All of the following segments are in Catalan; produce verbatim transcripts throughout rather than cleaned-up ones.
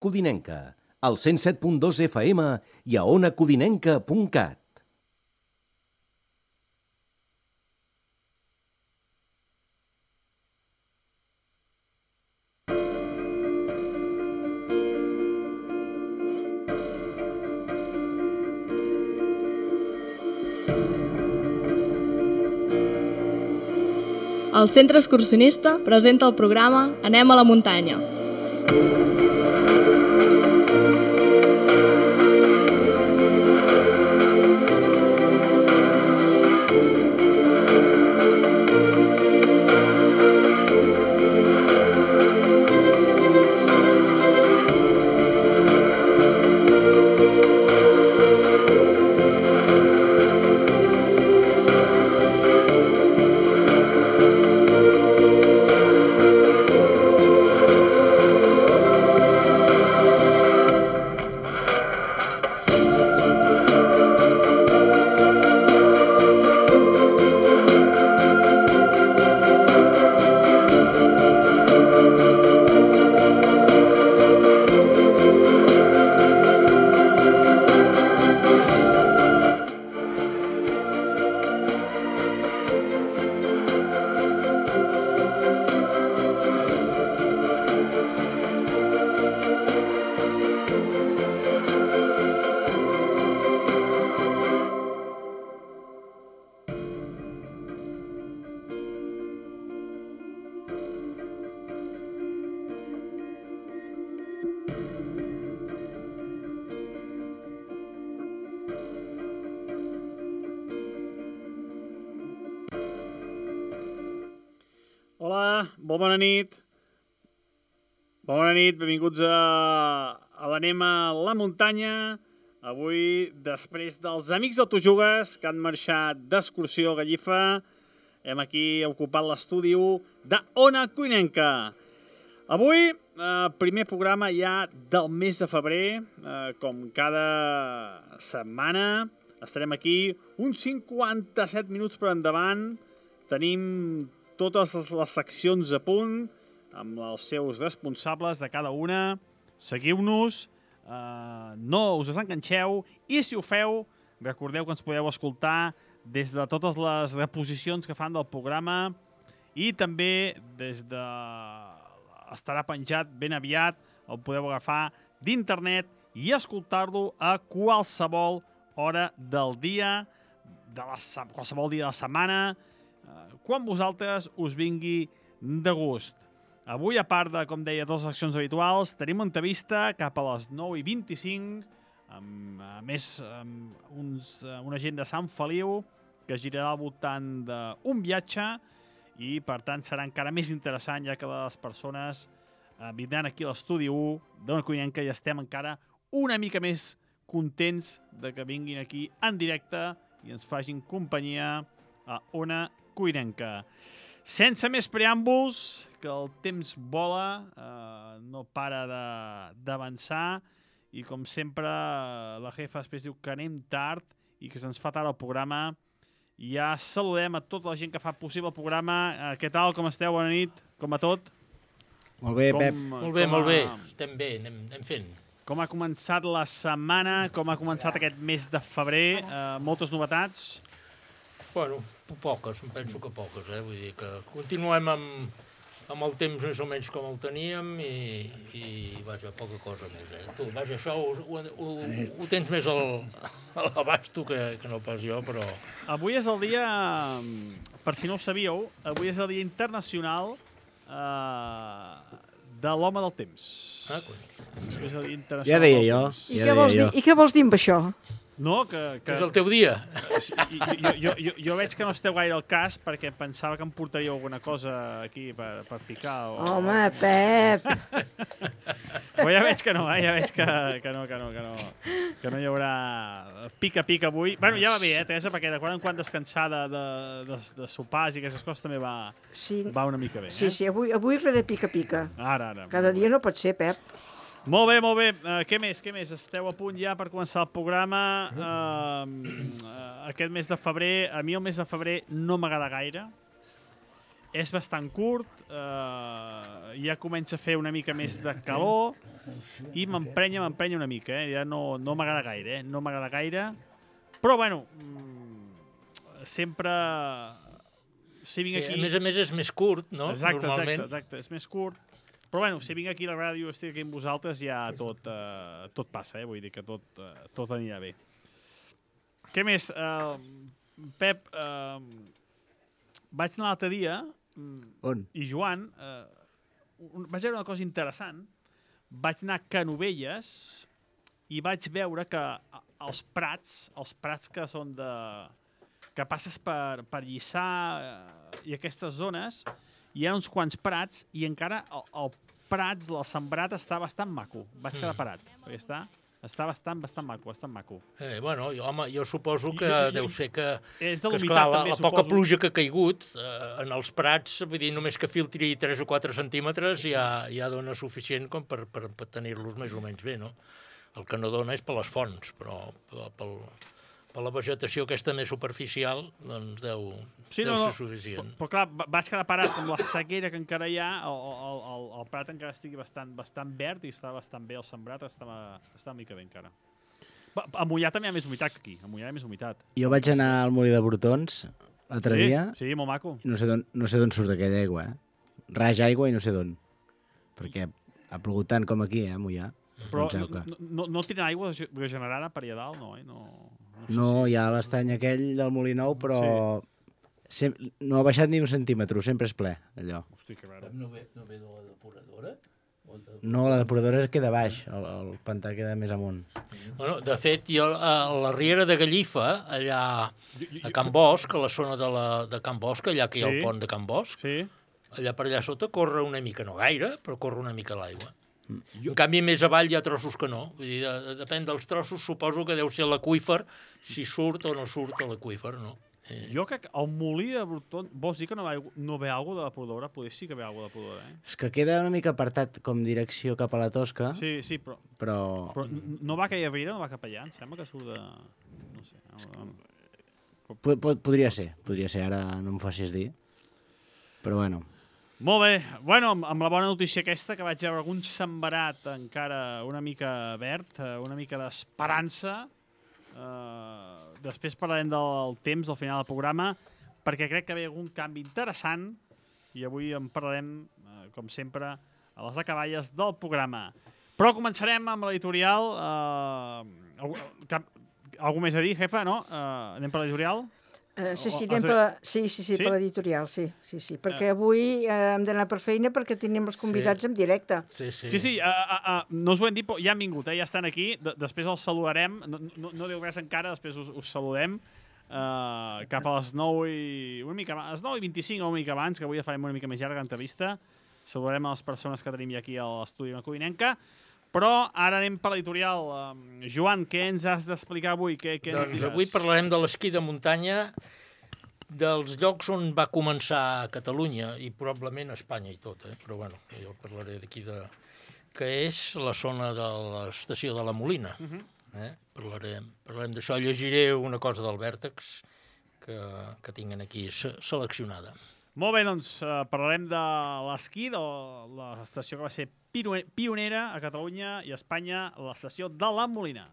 Codinenca, al cent set punt dos F M i a ona codinenca punt cat. El Centre Excursionista presenta el programa Anem a la muntanya. Hola, molt bona nit. Bona nit, benvinguts a, a l'Anem a la muntanya. Avui, després dels amics del Tu Jugues que han marxat d'excursió a Gallifa, hem aquí ocupat l'estudi de Ona Codinenca. Avui, eh, primer programa ja del mes de febrer, eh, com cada setmana. Estarem aquí uns cinquanta-set minuts per endavant. Tenim totes les seccions a punt, amb els seus responsables de cada una. Seguiu-nos, eh, no us desenganxeu, i si ho feu, recordeu que ens podeu escoltar des de totes les reposicions que fan del programa i també des de... estarà penjat ben aviat, el podeu agafar d'internet i escoltar-lo a qualsevol hora del dia, de la, qualsevol dia de la setmana, quan vosaltres us vingui de gust. Avui, a part de, com deia, dues seccions habituals, tenim una entrevista cap a les nou i vint-i-cinc, amb, a més, amb uns, una gent de Sant Feliu que girarà al voltant d'un viatge i, per tant, serà encara més interessant, ja que les persones eh, vindran aquí a l'estudi u d'Ona Codinenca i estem encara una mica més contents de que vinguin aquí en directe i ens facin companyia a Ona Codinenca. Sense més preàmbuls, que el temps vola, eh, no para d'avançar, i com sempre la jefa després diu que anem tard i que se'ns fa tard el programa. Ja saludem a tota la gent que fa possible el programa. Eh, què tal, com esteu? Bona nit, com a tot. Molt bé, com, Pep. Molt bé, com molt a, bé. Estem bé, anem, anem fent. Com ha començat la setmana, com ha començat aquest mes de febrer, eh, moltes novetats. Bueno, poques, em penso que poques, eh? Vull dir que continuem amb, amb el temps més o menys com el teníem i, i vaja, poca cosa més, eh? Tu, vaja, això ho, ho, ho, ho tens més al, a l'abast tu que, que no pas jo, però... Avui és el dia, per si no ho sabíeu, avui és el dia internacional eh, de l'home del temps. Ah, coi. És el dia internacional Ja deia del jo. temps. I, Ja què vols deia dir, jo. I què vols dir amb això? No, que... que... És el teu dia. Sí, jo, jo, jo, jo veig que no esteu gaire al cas perquè pensava que em portaríeu alguna cosa aquí per, per picar. O... Home, Pep! Però ja veig que no, eh? Ja veig que, que no, que no, que no, que no hi haurà pica-pica avui. Bueno, ja va bé, eh, Teresa, perquè de quan en quan descansar de, de, de, de sopars i aquestes coses també va, Sí, va una mica bé, eh? sí, sí, avui, avui res de pica-pica. Ara, ara. Cada dia no pot ser, Pep. Molt bé, molt bé. Uh, què més, què més? Esteu a punt ja per començar el programa. Uh, uh, aquest mes de febrer, a mi el mes de febrer no m'agrada gaire. és bastant curt, eh, ja comença a fer una mica més de calor i m'emprenya, m'emprenya una mica, eh? Ja no, no m'agrada gaire, eh? No m'agrada gaire, però bueno, mmm, sempre... Si vinc sí, aquí... A més a més és més curt, no? Exacte, Normalment. exacte, exacte, és més curt. Però bueno, si vinc aquí a la ràdio, estic aquí amb vosaltres, ja tot, eh, tot passa, eh? Vull dir que tot, eh, tot anirà bé. Què més? Uh, Pep, uh, vaig anar l'altre dia... On? I Joan, uh, un, vaig veure una cosa interessant. Vaig anar a Canovelles i vaig veure que els prats, els prats que són de... que passes per, per Lliçà uh, i aquestes zones, hi ha uns quants prats i encara el, el prats, el sembrat, està bastant maco. Vaig quedar parat, perquè està, està bastant, bastant maco, bastant maco. Eh, bueno, jo, home, jo suposo que Jo- jo- deu ser que, És de que l'humitat, esclar, la, també, la poca suposo. pluja que ha caigut eh, en els prats, vull dir, només que filtri tres o quatre centímetres ja, ja dona suficient com per, per, per tenir-los més o menys bé, no? El que no dona és per les fonts, però pel, pel, per la vegetació aquesta més superficial, doncs deu, Sí, deu no, no. ser suficient. Però, però clar, va- vaig quedar parat amb la sequera que encara hi ha, el, el, el, el prat encara estigui bastant, bastant verd i està bastant bé el sembrat, estava, està una mica bé encara. Va, a Mollà també hi ha més humitat que aquí, a Mollà hi ha més humitat. Jo vaig anar al Molí de Brotons l'altre Sí, dia sí, molt maco. i no sé d'on no sé d'on surt aquella aigua, eh? Raja aigua i no sé d'on. Perquè ha plogut tant com aquí, eh, a Mollà. Però Penseu no, que- no, no, no tenen aigua regenerada per allà dalt, no, eh? No, no, sé No, si- hi ha l'estany aquell del Molí Nou, però sem- no ha baixat ni un centímetre, sempre és ple, allò. Hosti, que raro. No ve, no ve de la depuradora? O de... No, la depuradora queda baix, el, el pantà queda més amunt. Bueno, de fet, jo a la Riera de Gallifa, allà a Can Bosch, a la zona de, la, de Can Bosch, allà que hi ha Sí. el pont de Can Bosch, Sí? allà per allà sota corre una mica, no gaire, però corre una mica l'aigua. En canvi, més avall hi ha trossos que no. Vull dir, de, depèn dels trossos, suposo que deu ser l'aqüífer, si surt o no surt a l'aqüífer, no? Eh, Jo crec que el molí de Bruton... Vols dir que no ve, aigua- no ve aigua de la depuradora? Potser sí que ve aigua de la depuradora, eh? És que queda una mica apartat com direcció cap a la Tosca, Sí, sí, però, però... però n- no va a aquella riera, no va cap allà, em sembla que surt de... No sé. No, no. Po- po- Podria ser, podria ser, ara no em facis dir. Però bueno, Molt bé. Bueno, amb, amb la bona notícia aquesta, que vaig veure algun sembrat encara una mica verd, eh, una mica d'esperança. Eh, després parlarem del temps, al final del programa, perquè crec que ve algun canvi interessant i avui en parlarem, eh, com sempre, a les acaballes del programa. Però començarem amb l'editorial. Eh, algú, cap, algú més a dir, jefa, no? Eh, anem per l'editorial? Uh, sí, O- sí, o- anem has de- per la, sí, sí, sí, Sí? per l'editorial, sí, sí, sí, perquè avui eh, hem d'anar per feina perquè tenim els convidats Sí. en directe. sí, sí. Sí, sí, uh, uh, uh, no us ho hem dit, però ja han vingut, eh? Ja estan aquí, de després els saludarem, no, no, no diu res encara, després us, us saludem, uh, cap a les nou i... una mica abans, les nou i vint-i-cinc o una mica abans, que avui ja farem una mica més llarga l'entrevista, saludarem a les persones que tenim ja aquí a l'estudi de la Codinenca, però ara anem per l'editorial. Um, Joan, què ens has d'explicar avui? Què, què ens Doncs diràs? avui parlarem de l'esquí de muntanya, dels llocs on va començar a Catalunya i probablement a Espanya i tot, eh? Però bueno, jo parlaré d'aquí de... que és la zona de l'estació de la Molina. Uh -huh. eh? Parlarem, parlarem d'això, llegiré una cosa del Vèrtex que, que tinguin aquí se seleccionada. Molt bé, doncs uh, parlarem de l'esquí, de l'estació que va ser piro- pionera a Catalunya i a Espanya, l'estació de la Molina.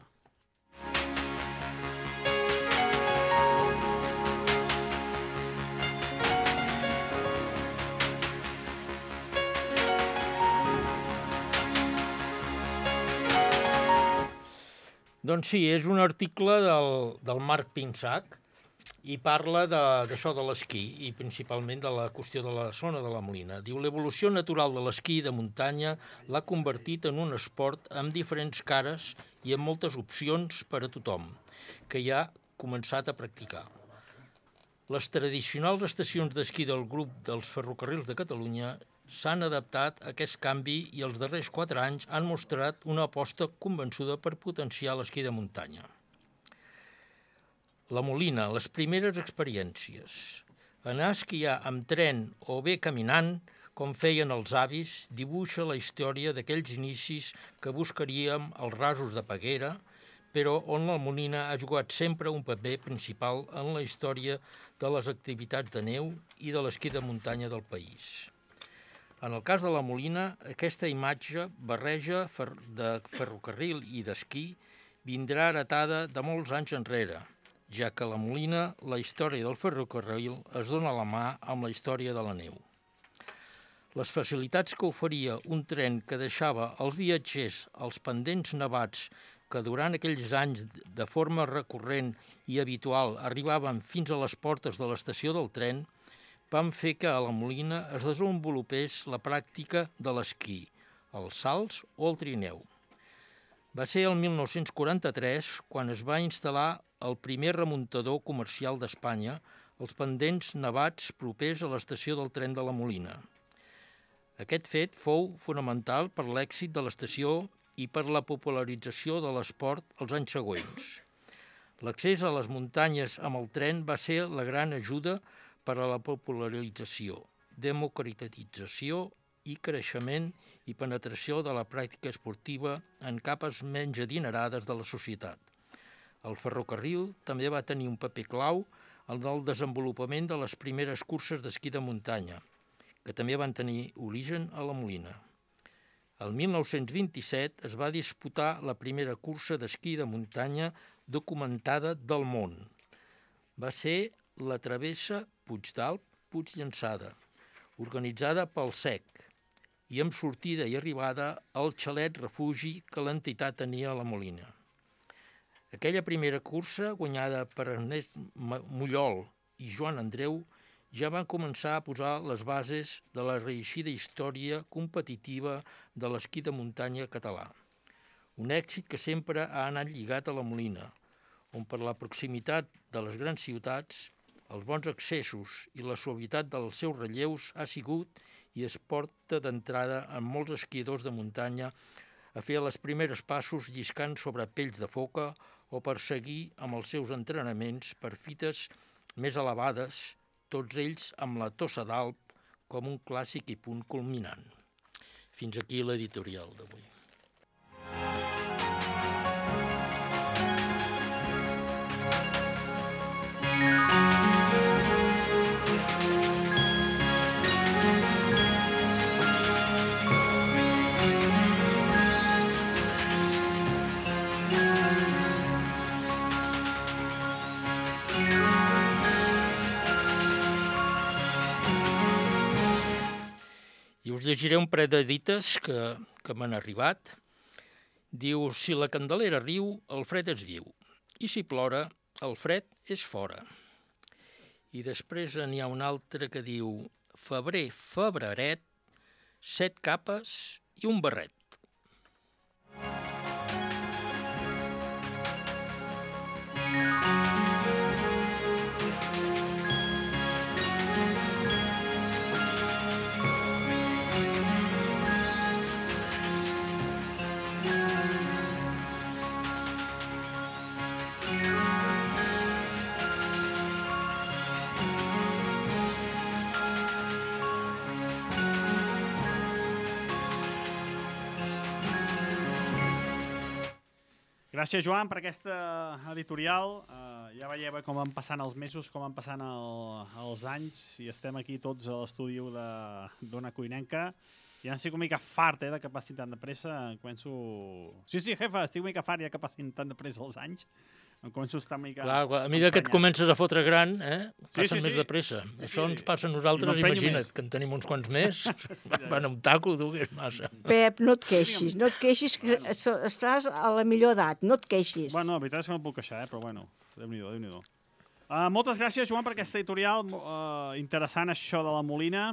Doncs sí, és un article del, del Marc Pinsac i parla d'això de, de l'esquí i principalment de la qüestió de la zona de la Molina. Diu, l'evolució natural de l'esquí de muntanya l'ha convertit en un esport amb diferents cares i amb moltes opcions per a tothom, que ja ha començat a practicar. Les tradicionals estacions d'esquí del grup dels ferrocarrils de Catalunya s'han adaptat a aquest canvi i els darrers quatre anys han mostrat una aposta convençuda per potenciar l'esquí de muntanya. La Molina, les primeres experiències. Anar a esquiar amb tren o bé caminant, com feien els avis, dibuixa la història d'aquells inicis que buscaríem als rasos de Peguera, però on la Molina ha jugat sempre un paper principal en la història de les activitats de neu i de l'esquí de muntanya del país. En el cas de la Molina, aquesta imatge barreja de ferrocarril i d'esquí vindrà heretada de molts anys enrere, ja que a la Molina la història del ferrocarril es dona a la mà amb la història de la neu. Les facilitats que oferia un tren que deixava els viatgers als pendents nevats que durant aquells anys de forma recurrent i habitual arribaven fins a les portes de l'estació del tren, van fer que a la Molina es desenvolupés la pràctica de l'esquí, els salts o el trineu. Va ser el mil nou-cents quaranta-tres quan es va instal·lar el primer remuntador comercial d'Espanya als pendents nevats propers a l'estació del tren de la Molina. Aquest fet fou fonamental per l'èxit de l'estació i per la popularització de l'esport els anys següents. L'accés a les muntanyes amb el tren va ser la gran ajuda per a la popularització, democratització i creixement i penetració de la pràctica esportiva en capes menys adinerades de la societat. El ferrocarril també va tenir un paper clau en el desenvolupament de les primeres curses d'esquí de muntanya, que també van tenir origen a la Molina. El mil nou-cents vint-i-set es va disputar la primera cursa d'esquí de muntanya documentada del món. Va ser la travessa Puigdàlber-Puigllançada, organitzada pel S E C, i amb sortida i arribada al xalet refugi que l'entitat tenia a la Molina. Aquella primera cursa, guanyada per Ernest Mollol i Joan Andreu, ja van començar a posar les bases de la reeixida història competitiva de l'esquí de muntanya català. Un èxit que sempre ha anat lligat a la Molina, on per la proximitat de les grans ciutats, els bons accessos i la suavitat dels seus relleus ha sigut i es porta d'entrada amb molts esquiadors de muntanya a fer els primers passos lliscant sobre pells de foca o per seguir amb els seus entrenaments per fites més elevades, tots ells amb la Tossa d'Alp com un clàssic i punt culminant. Fins aquí l'editorial d'avui. I us llegiré un parell de dites que, que m'han arribat. Diu, si la Candelera riu, el fred és viu. I si plora, el fred és fora. I després n'hi ha un altre que diu, febrer, febreret, set capes i un barret. Gràcies, Joan, per aquesta editorial. Uh, ja veieu com van passant els mesos, com van passant el, els anys, i estem aquí tots a l'estudi d'Ona Codinenca. Ja estic una mica fart eh, de que passin tan de pressa. Em començo... Sí, sí, jefa, estic una mica fart ja que passin tan de pressa els anys. Em començo a estar una mica... Clar, a mesura que et comences a fotre gran, eh, passen sí, sí, més sí. de pressa. Sí, Això sí. ens passa a nosaltres, imagina't, més. que en tenim uns quants més. Van a un taco, tu, que és massa. Pep, no et queixis, no et queixis, que estàs a la millor edat, no et queixis. Bueno, la veritat és que no em puc queixar, eh, però bueno, Déu-n'hi-do, Déu-n'hi-do. Uh, moltes gràcies, Joan, per aquesta editorial uh, interessant, això de la Molina.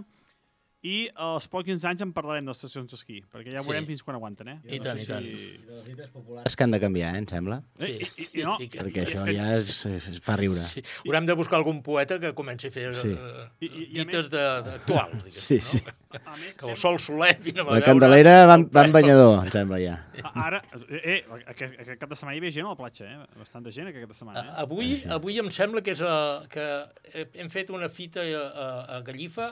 I als pocs anys en parlarem de les estacions d'esquí, perquè ja veurem Sí. fins quan aguanten, eh? I tant, i tant. I de les dites populars que han de canviar, eh, em sembla. Eh, i, i, i no, Sí, que- Perquè és això que- ja es, es fa riure. Sí. Haurem de buscar algun poeta que comenci a fer Sí. uh, I- i- i a dites més- de, de, actuals, diguéssim, Sí, sí. no? A més, Que el sol soler, vine a La veure... Candelera va, va en banyador, em sembla, ja. Ara, eh, aquest, aquest cap de setmana hi havia gent a la platja, eh? Bastanta gent aquest cap de setmana, eh? Avui, avui em sembla que, és a, que hem fet una fita a, a, a Gallifa,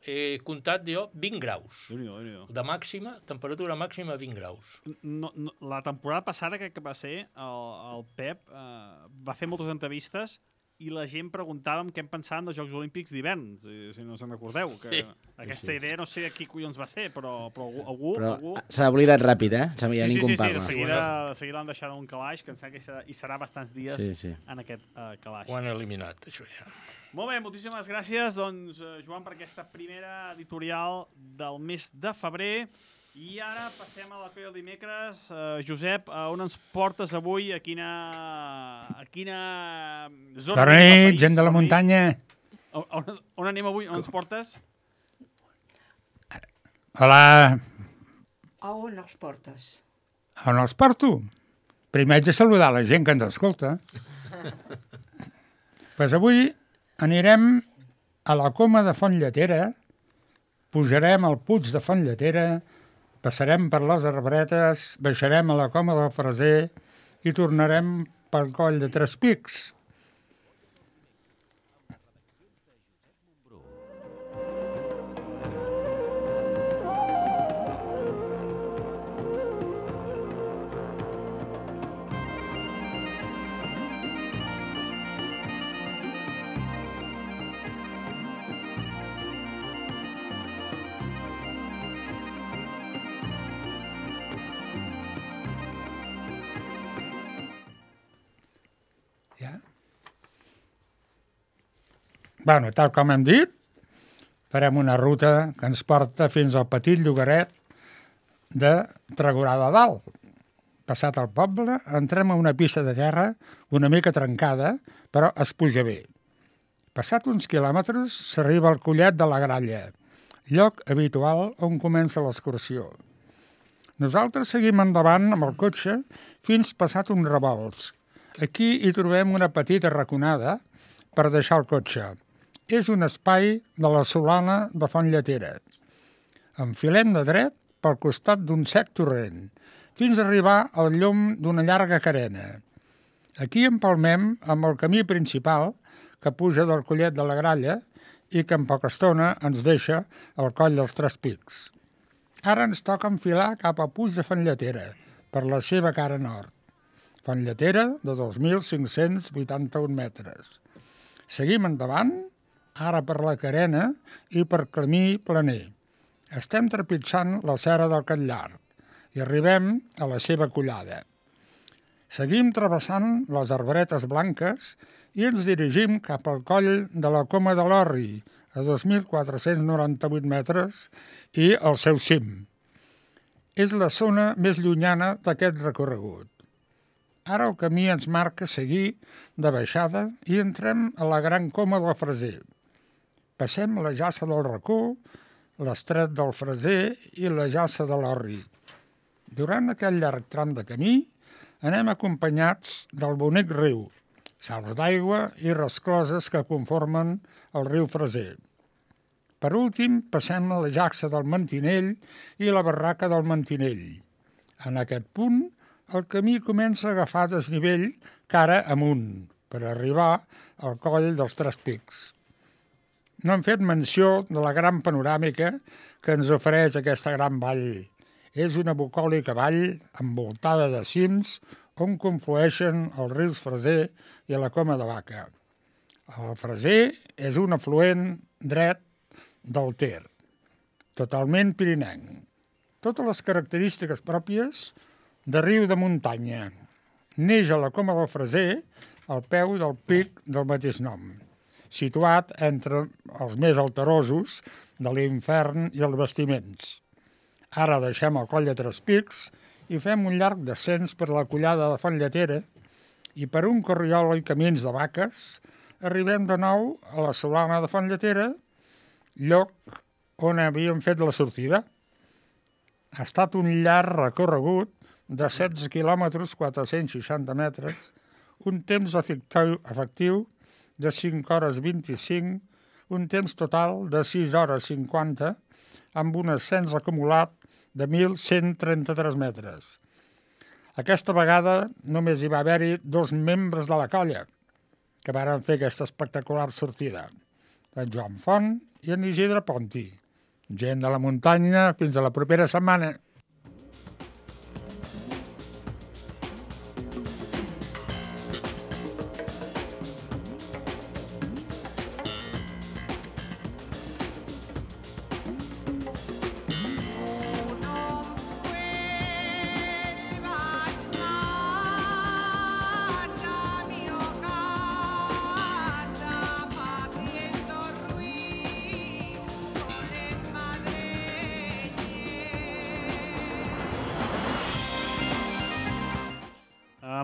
he comptat jo vint graus. Déu-n'hi-do, Déu-n'hi-do. De màxima, temperatura màxima vint graus. No, no, la temporada passada, crec que va ser, el, el Pep eh, va fer moltes entrevistes i la gent preguntàvem què en pensaven dels Jocs Olímpics d'hivern, si, si no se'n recordeu. Que Sí. aquesta idea no sé a qui collons va ser, però, però algú... algú, Però algú... s'ha oblidat ràpid, eh? Ja Sí, ningú sí, sí, en sí, parla. de seguida, de seguida l'han deixat en un calaix, que em sembla que hi serà, hi serà bastants dies Sí, sí. en aquest uh, calaix. Ho han eliminat, això ja. Molt bé, moltíssimes gràcies, doncs, eh, Joan, per aquesta primera editorial del mes de febrer. I ara passem a la que del dimecres. Uh, Josep, a on ens portes avui? A quina, a quina zona Bona del nit, país? gent de la Bona nit. muntanya. On, on, on anem avui? On ens portes? Hola, A on els portes? on els porto? Primer haig de saludar la gent que ens escolta. Pues avui anirem a la Coma de Fontlletera, pujarem al Puig de Fontlletera, passarem per les Arbretes, baixarem a la Coma del Freser i tornarem pel coll de Tres Pics. Ja? Bueno, tal com hem dit, farem una ruta que ens porta fins al petit llogaret de Tregorà de Dalt. Passat el poble, entrem a una pista de terra una mica trencada, però es puja bé. Passat uns quilòmetres, s'arriba al Collet de la Gralla, lloc habitual on comença l'excursió. Nosaltres seguim endavant amb el cotxe fins passat uns revolts. Aquí hi trobem una petita raconada per deixar el cotxe. És un espai de la Solana de Fontlletera. Enfilem de dret pel costat d'un sec torrent, fins a arribar al llom d'una llarga carena. Aquí empalmem amb el camí principal que puja del Collet de la Gralla i que en poca estona ens deixa al coll dels Tres Pics. Ara ens toca enfilar cap a Puig de Fontlletera, per la seva cara nord. Fontlletera de dos mil cinc-cents vuitanta-un metres. Seguim endavant, ara per la carena i per camí planer. Estem trepitjant la serra del Catllar i arribem a la seva collada. Seguim travessant les arbretes blanques i ens dirigim cap al coll de la Coma de l'Orri, a dos mil quatre-cents noranta-vuit metres, i al seu cim. És la zona més llunyana d'aquest recorregut. Ara el camí ens marca seguir de baixada i entrem a la Gran Coma del Freser. Passem la Jassa del Racó, l'Estret del Freser i la Jassa de l'Orri. Durant aquest llarg tram de camí anem acompanyats del bonic riu, salts d'aigua i rescloses que conformen el riu Freser. Per últim, passem a la Jassa del Mantinell i la Barraca del Mantinell. En aquest punt, el camí comença a agafar desnivell cara amunt, per arribar al coll dels Tres Pics. No hem fet menció de la gran panoràmica que ens ofereix aquesta gran vall. És una bucòlica vall envoltada de cims on conflueixen els rius Freser i la Coma de Vaca. El Freser és un afluent dret del Ter, totalment pirinenc. Totes les característiques pròpies de riu de muntanya. Neix a la Coma del Freser al peu del pic del mateix nom, situat entre els més alterosos de l'Infern i els Bastiments. Ara deixem el coll de Tres Pics i fem un llarg descens per la collada de Fontlletera i per un corriol i camins de vaques arribem de nou a la Solana de Fontlletera, lloc on havíem fet la sortida. Ha estat un llarg recorregut de setze quilòmetres quatre-cents seixanta metres, un temps efectiu, efectiu de cinc hores vint-i-cinc, un temps total de sis hores cinquanta, amb un ascens acumulat de mil cent trenta-tres metres. Aquesta vegada només hi va haver-hi dos membres de la colla que varen fer aquesta espectacular sortida, en Joan Font i en Isidre Ponti. Gent de la muntanya, fins a la propera setmana.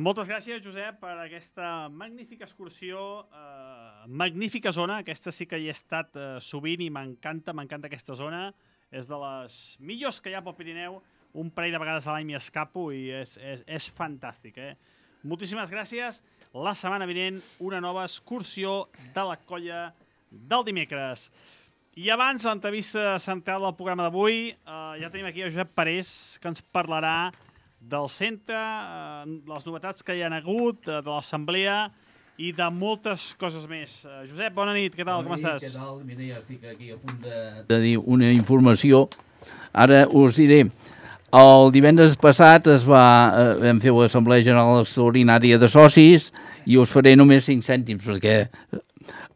Moltes gràcies, Josep, per aquesta magnífica excursió, eh, magnífica zona. Aquesta sí que hi he estat eh, sovint i m'encanta, m'encanta aquesta zona. És de les millors que hi ha pel Pirineu. Un parell de vegades a l'any m'hi escapo i és, és, és fantàstic. Eh? Moltíssimes gràcies. La setmana vinent, una nova excursió de la colla del dimecres. I abans, l'entrevista central del programa d'avui, eh, ja tenim aquí a Josep Parés, que ens parlarà del centre, eh, les novetats que hi ha hagut, eh, de l'assemblea i de moltes coses més. Eh, Josep, bona nit, què tal, bona com nit, estàs? Què tal? Mira, ja estic aquí a punt de, de dir una informació. Ara us diré, el divendres passat es va, eh, vam fer l'Assemblea General Extraordinària de Socis i us faré només cinc cèntims, perquè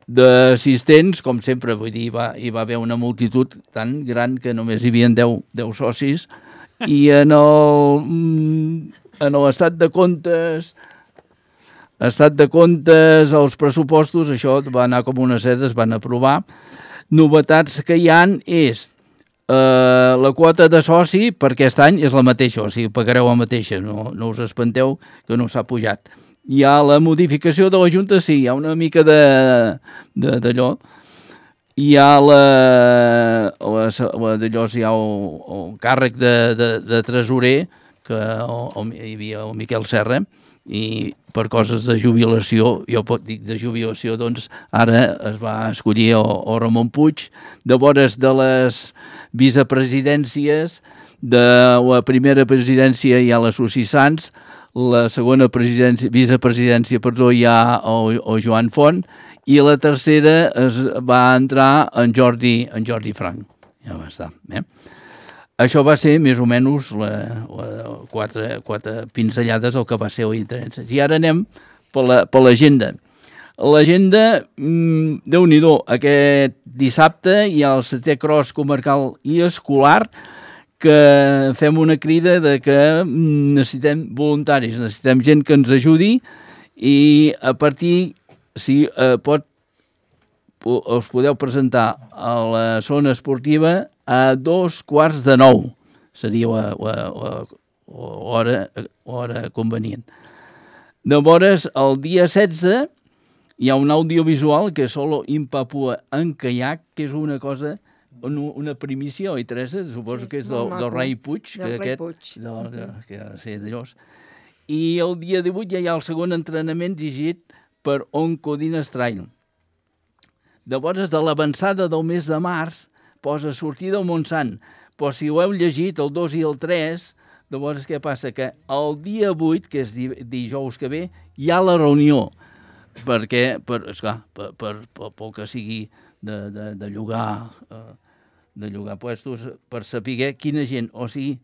d'assistents, com sempre, vull dir, va, hi va haver una multitud tan gran que només hi havia deu socis, i en el en l'estat de comptes estat de comptes, els pressupostos, això va anar com una seda, es van aprovar. Novetats que hi han és eh, la quota de soci per aquest any és la mateixa, o sigui, pagareu la mateixa, no, no us espanteu que no s'ha pujat. Hi ha la modificació de la Junta, sí, hi ha una mica de d'allò. Hi ha la, la, la d'allò, hi ha el, el càrrec de, de, de tresorer, que el, el, hi havia el Miquel Serra, i per coses de jubilació, jo pot dir de jubilació, doncs ara es va escollir el, el Ramon Puig. Llavors, de les vicepresidències, de la primera presidència hi ha la Susi Sans, la segona presidència, vicepresidència, perdó, hi ha el, el Joan Font, i la tercera es va entrar en Jordi, en Jordi Frank. Ja va estar. Eh? Això va ser més o menys la, la, quatre, quatre pinzellades el que va ser l'interès. I ara anem per l'agenda. L'agenda, mmm, Déu-n'hi-do, aquest dissabte hi ha el setè cross comarcal i escolar, que fem una crida de que necessitem voluntaris, necessitem gent que ens ajudi, i a partir si eh, pot, us podeu presentar a la zona esportiva a dos quarts de nou. Seria la, la, la, hora, hora convenient. Llavors, el dia setze hi ha un audiovisual que és Solo in Papua en caiac, que és una cosa, una primícia, oi, Teresa? Suposo sí, que és del, del Rai Puig. Del que Rai aquest, Puig. Del, de, que ha de ser d'allòs. I el dia divuit ja hi ha el segon entrenament dirigit per Oncodines Trail. Llavors, de l'avançada del mes de març, posa sortida al Montsant. Però si ho heu llegit, el dos i el tres, llavors què passa? Que el dia vuit, que és dijous que ve, hi ha la reunió. Perquè, per, esclar, per, per, per, per que sigui de, de, de llogar eh, de llogar puestos, per saber quina gent, o sigui,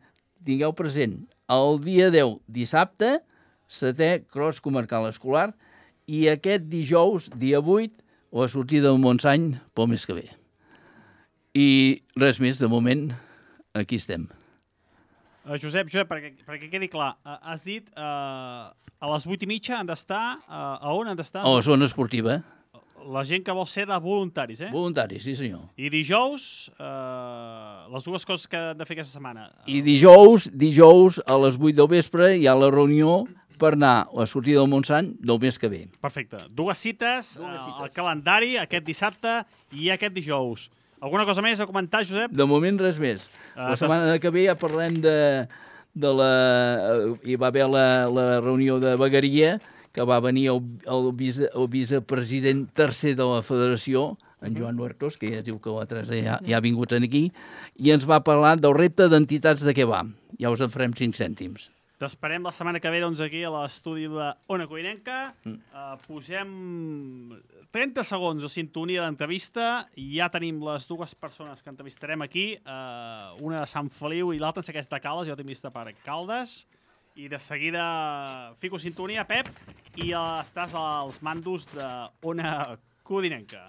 tingueu present, el dia deu, dissabte, setè cross comarcal escolar, i aquest dijous, dia vuit, la sortida del Montsany pel mes que ve. I res més, de moment, aquí estem. Uh, Josep, Josep, perquè, perquè quedi clar, uh, has dit uh, a les vuit i mitja han d'estar, uh, a on han d'estar? A la zona esportiva. La gent que vol ser de voluntaris, eh? Voluntaris, sí senyor. I dijous, uh, les dues coses que han de fer aquesta setmana. I dijous, dijous a les vuit del vespre hi ha la reunió per anar a la sortida del Montsant del mes que ve. Perfecte. Dues cites, Dues cites. al calendari, aquest dissabte i aquest dijous. Alguna cosa més a comentar, Josep? De moment res més. Uh, la setmana que ve ja parlem de, de la... Hi va haver la, la reunió de vegueria, que va venir el, el, vice, el vicepresident tercer de la federació en Joan Huertos, que ja diu que l'altre ja, ja ha vingut aquí, i ens va parlar del repte d'entitats de què va. Ja us en farem cinc cèntims. T'esperem la setmana que ve, doncs, aquí a l'estudi d'Ona Codinenca. Mm. Uh, posem trenta segons de sintonia d'entrevista i ja tenim les dues persones que entrevistarem aquí, uh, una de Sant Feliu i l'altra en Segueix de Caldes, jo tinc vista per Caldes, i de seguida fico sintonia, Pep, i uh, estàs als mandos d'Ona Codinenca.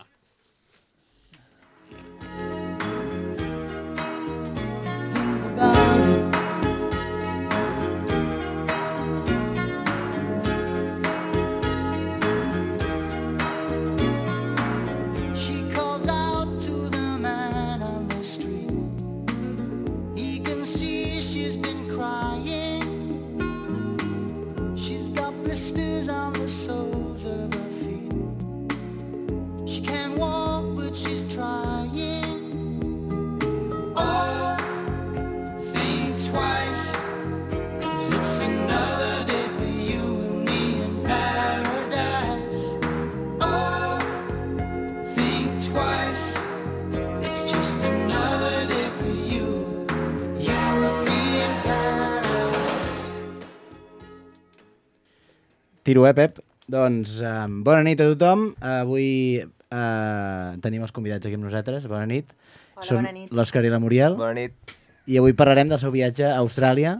Tiro, eh, Pep? Doncs eh, bona nit a tothom. Avui eh, tenim els convidats aquí amb nosaltres. Bona nit. Hola, Són bona nit. l'Òscar i la Muriel. Bona nit. I avui parlarem del seu viatge a Austràlia,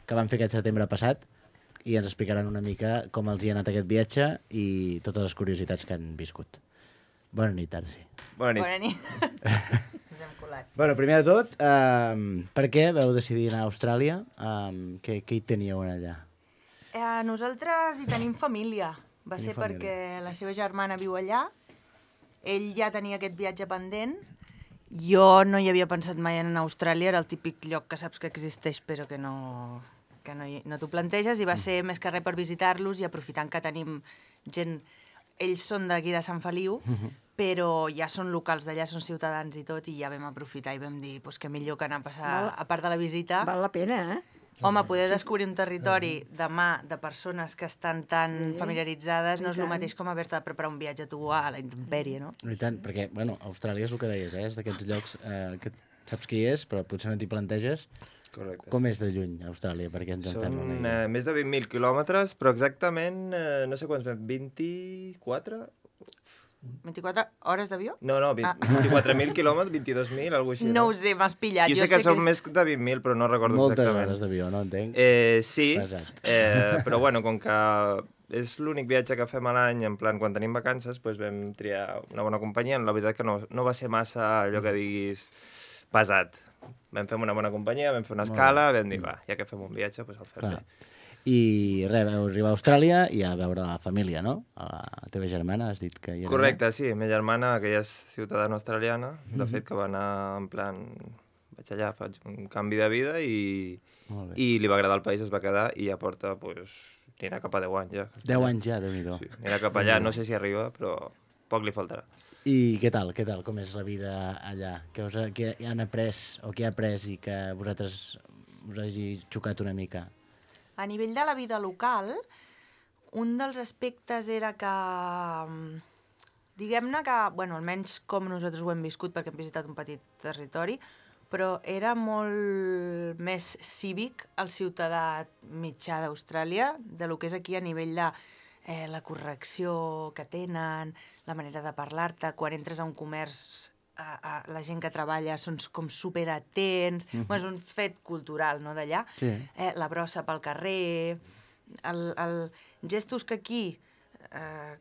que van fer aquest setembre passat, i ens explicaran una mica com els hi ha anat aquest viatge i totes les curiositats que han viscut. Bona nit, ara sí. Bona nit. Bona nit. Ens hem colat. Bueno, primer de tot, eh, per què vau decidir anar a Austràlia? Eh, què, què hi teníeu allà? Eh, nosaltres hi tenim família. Va Teniu ser família. perquè la seva germana viu allà. Ell ja tenia aquest viatge pendent. Jo no hi havia pensat mai en anar a Austràlia. Era el típic lloc que saps que existeix però que no, que no, hi- no t'ho planteges. I va ser més que res per visitar-los i aprofitant que tenim gent... Ells són d'aquí de Sant Feliu, però ja són locals d'allà, són ciutadans i tot, i ja vam aprofitar i vam dir pues, que millor que anar a passar, Val. a part de la visita... Val la pena, eh? Home, poder descobrir un territori de mà de persones que estan tan Sí, familiaritzades no i és el tant. mateix com haver-te de preparar un viatge tu a la intempèrie, no? No, i tant, perquè, bueno, Austràlia és el que deies, eh? És d'aquests llocs eh, que saps qui és, però potser no t'hi planteges. Correcte. Com és de lluny, Austràlia? Perquè ens en fem una Són idea. eh, més de vint mil quilòmetres, però exactament, eh, no sé quants, vint-i-quatre? vint-i-quatre hores d'avió? No, no, vint- Ah. vint-i-quatre mil quilòmetres, vint-i-dos mil, alguna cosa així. No ho sé, m'has pillat. Jo sé que sé són és- més de vint mil, però no recordo Moltes exactament. hores d'avió, no entenc? Eh, sí, Pesat. eh, però bueno, com que és l'únic viatge que fem a l'any, en plan, quan tenim vacances, doncs vam triar una bona companyia. La veritat que no, no va ser massa allò que diguis pesat. Vam fer una bona companyia, vam fer una Molt escala, vam dir, va, ja que fem un viatge, doncs el fem Clar. bé. I res, vau arribar a Austràlia i a veure la família, no? A la teva germana, has dit que hi era... Correcte, sí. Ma germana, que ja és ciutadana australiana, de fet que va anar en plan... Vaig allà, faig un canvi de vida i, Molt bé. i li va agradar el país, es va quedar i ja porta, pues, anirà cap a deu anys ja. deu anys ja, Déu-n'hi-do. Sí, anirà cap allà, no sé si arriba, però poc li faltarà. I què tal, què tal? Com és la vida allà? Què, us ha, què han après o què ha après i que vosaltres us hagi xocat una mica? A nivell de la vida local, un dels aspectes era que, mm, diguem-ne que, bueno, almenys com nosaltres ho hem viscut, perquè hem visitat un petit territori, però era molt més cívic el ciutadà mitjà d'Austràlia, de lo que és aquí a nivell de eh, la correcció que tenen, la manera de parlar-te, quan entres a un comerç, a, a, la gent que treballa són com superatents, mm -hmm. bueno, és un fet cultural, no, d'allà, Sí. eh, la brossa pel carrer, el, el gestos que aquí eh,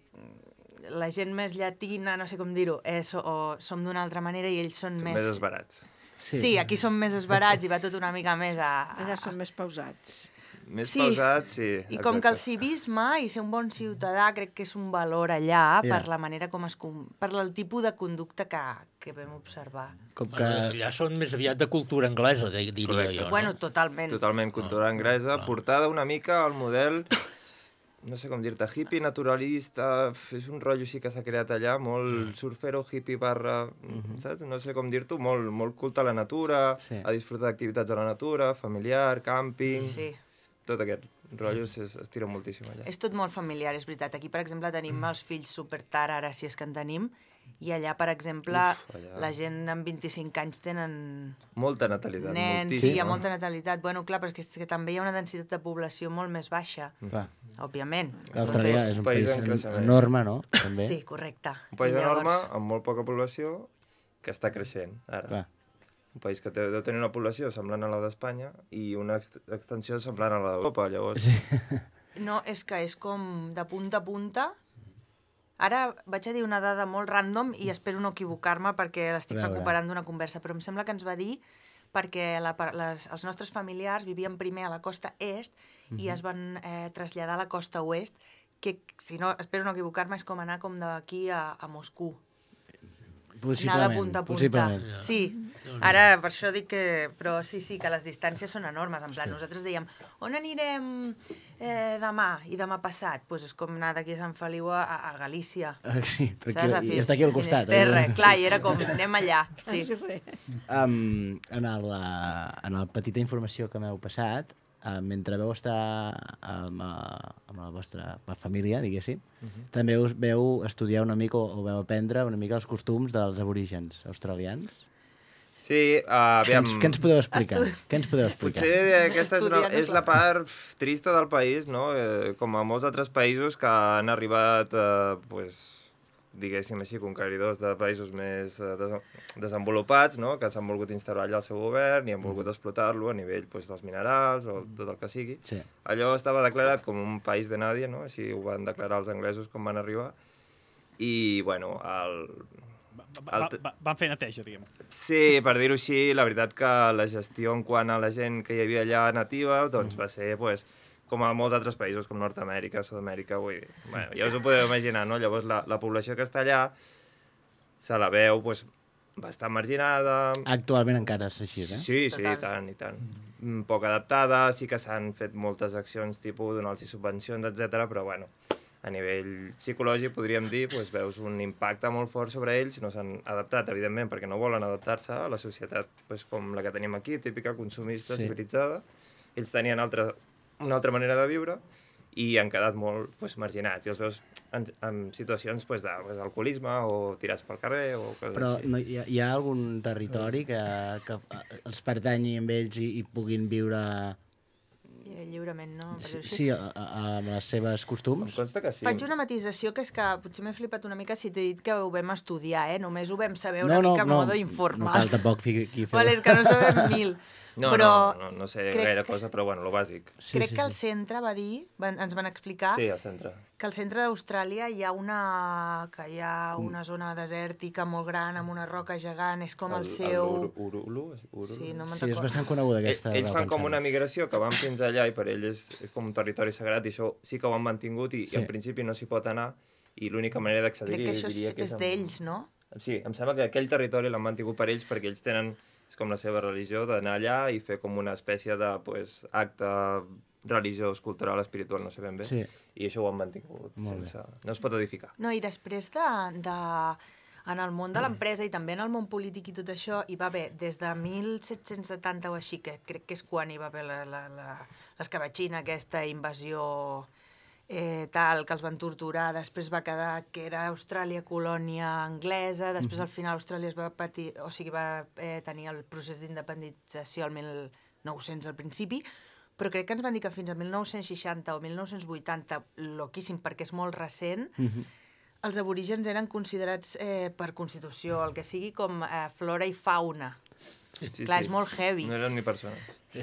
la gent més llatina, no sé com dir-ho, eh, so, o som d'una altra manera i ells són més... Més esbarats. Sí. sí, aquí som més esbarats i va tot una mica més a... a... Allà són més pausats. Més Sí. pausats, sí. I com que el exacte. civisme i ser un bon ciutadà crec que és un valor allà Ja. per la manera com es... com- per el tipus de conducta que, que vam observar. Com que... Bueno, allà són més aviat de cultura anglesa, de- diria Correcte. jo. No? Bueno, totalment. Totalment cultura anglesa, portada una mica al model, no sé com dir-te, hippie naturalista, f- és un rotllo així que s'ha creat allà, molt surfero, hippie barra, saps? No sé com dir-t'ho, molt, molt culte a la natura, Sí. a disfrutar d'activitats a la natura, familiar, càmping, Sí. tot aquest rotllo es, es tira moltíssim allà. És tot molt familiar, és veritat. Aquí, per exemple, tenim els fills super tard, ara si és que en tenim, I allà, per exemple, Uf, allà. la gent amb vint-i-cinc anys tenen Molta natalitat, nens, sí, moltíssima. hi ha molta natalitat. Bueno, clar, però és que, és que també hi ha una densitat de població molt més baixa, Clar. òbviament. L'Austràlia és un país país en creixement. enorme, no? També. Sí, correcte. Un país I llavors- enorme, amb molt poca població, que està creixent, ara. Clar. Un país que té, deu tenir una població semblant a la d'Espanya i una ex extensió semblant a la d'Europa, llavors... Sí. No, és que és com de punta a punta. Ara vaig a dir una dada molt random i espero no equivocar-me perquè l'estic A veure. recuperant d'una conversa, però em sembla que ens va dir perquè la, par- les, els nostres familiars vivien primer a la costa est i es van eh, traslladar a la costa oest, que, si no, espero no equivocar-me, és com anar com d'aquí a, a Moscou. Anar de Possiblement. punta a punta. Possiblement. Sí, ara per això dic que... Però sí, sí, que les distàncies són enormes. En plan, Sí. nosaltres dèiem, on anirem eh, demà i demà passat? Doncs pues és com anar d'aquí a Sant Feliu a, a Galícia. Ah, sí, Saps? tranquil. A I Fis- està aquí al costat. Finisterre. eh? Clar, i era com, anem allà. Sí. Um, en, el, uh, en la petita informació que m'heu passat, uh, mentre veu estar amb, uh, amb la vostra família, diguéssim, uh -huh. també us veu estudiar una mica o, o veu aprendre una mica els costums dels aborígens australians. Sí, uh, Què aviam... ens, què ens podeu explicar? Què ens podeu explicar? Potser aquesta és, una, Estudiant és la part pf, trista del país, no? Eh, com a molts altres països que han arribat, eh, pues, diguéssim així, conqueridors de països més eh, des desenvolupats, no? Que s'han volgut instal·lar allà el seu govern i han volgut explotar-lo a nivell pues, dels minerals o tot el que sigui. Sí. Allò estava declarat com un país de nadie, no? Així ho van declarar els anglesos quan van arribar. I, bueno, el... Va, va, va, van fer neteja, diguem. Sí, per dir-ho així, la veritat que la gestió en quant a la gent que hi havia allà nativa doncs va ser, pues, com a molts altres països, com Nord-amèrica, Sud-amèrica, vull dir, bueno, ja us ho podeu imaginar, no? Llavors la, la població que està allà se la veu pues, bastant marginada. Actualment encara és així, eh? Sí, sí, i tant, i tant. Mm, poc adaptada, sí que s'han fet moltes accions, tipus donar-los subvencions, etcètera, però bueno, a nivell psicològic, podríem dir, doncs, veus un impacte molt fort sobre ells, no s'han adaptat, evidentment, perquè no volen adaptar-se a la societat doncs, com la que tenim aquí, típica, consumista, Sí. civilitzada. Ells tenien altra, una altra manera de viure i han quedat molt doncs, marginats. I els veus en, en situacions doncs, d'alcoholisme o tirats pel carrer o coses Però així. no, hi, ha, hi ha algun territori que, que els pertanyi amb ells i, i puguin viure... Lliurement, no? Per Sí, dir-ho així. sí, a, a, amb les seves costums? Em consta que sí. Faig una matisació que és que potser m'he flipat una mica si t'he dit que ho vam estudiar, eh? Només ho vam saber una no, no, mica no, modo no informal. cal tampoc fi, aquí fer... Vale, és que no sabem mil. No, però no, no, no sé crec- gaire cosa, però bueno, lo bàsic. Sí, crec sí, que al sí. centre va dir, van, ens van explicar, Sí, al centre. que al centre d'Austràlia hi ha una que hi ha una zona desèrtica molt gran amb una roca gegant, és com el, seu... El Urulu? Urulu? Sí, no me'n Sí, és recordo. bastant coneguda aquesta... Ells, ells fan roca, em com sembla. una migració que van fins allà i per ells és com un territori sagrat i això sí que ho han mantingut i, Sí. i en principi no s'hi pot anar i l'única manera d'accedir-hi Crec que això és, diria que és amb- d'ells, no? Sí, em sembla que aquell territori l'han mantingut per ells perquè ells tenen, és com la seva religió, d'anar allà i fer com una espècie de pues, acte religiós, cultural, espiritual, no sé ben bé. Sí. I això ho han mantingut Molt bé. sense... No es pot edificar. No, i després de, de, en el món de l'empresa i també en el món polític i tot això, hi va haver des de mil set-cents setanta o així, que crec que és quan hi va haver la, la, la, l'escabatxina, aquesta invasió eh, tal, que els van torturar, després va quedar que era Austràlia colònia anglesa, després al final Austràlia es va patir, o sigui, va eh, tenir el procés d'independització al mil nou-cents al principi, però crec que ens van dir que fins a mil nou-cents seixanta o mil nou-cents vuitanta, loquíssim perquè és molt recent, Mhm. els aborígens eren considerats eh, per Constitució, el que sigui, com eh, flora i fauna. Sí, Clar, és molt heavy. No eren ni persones.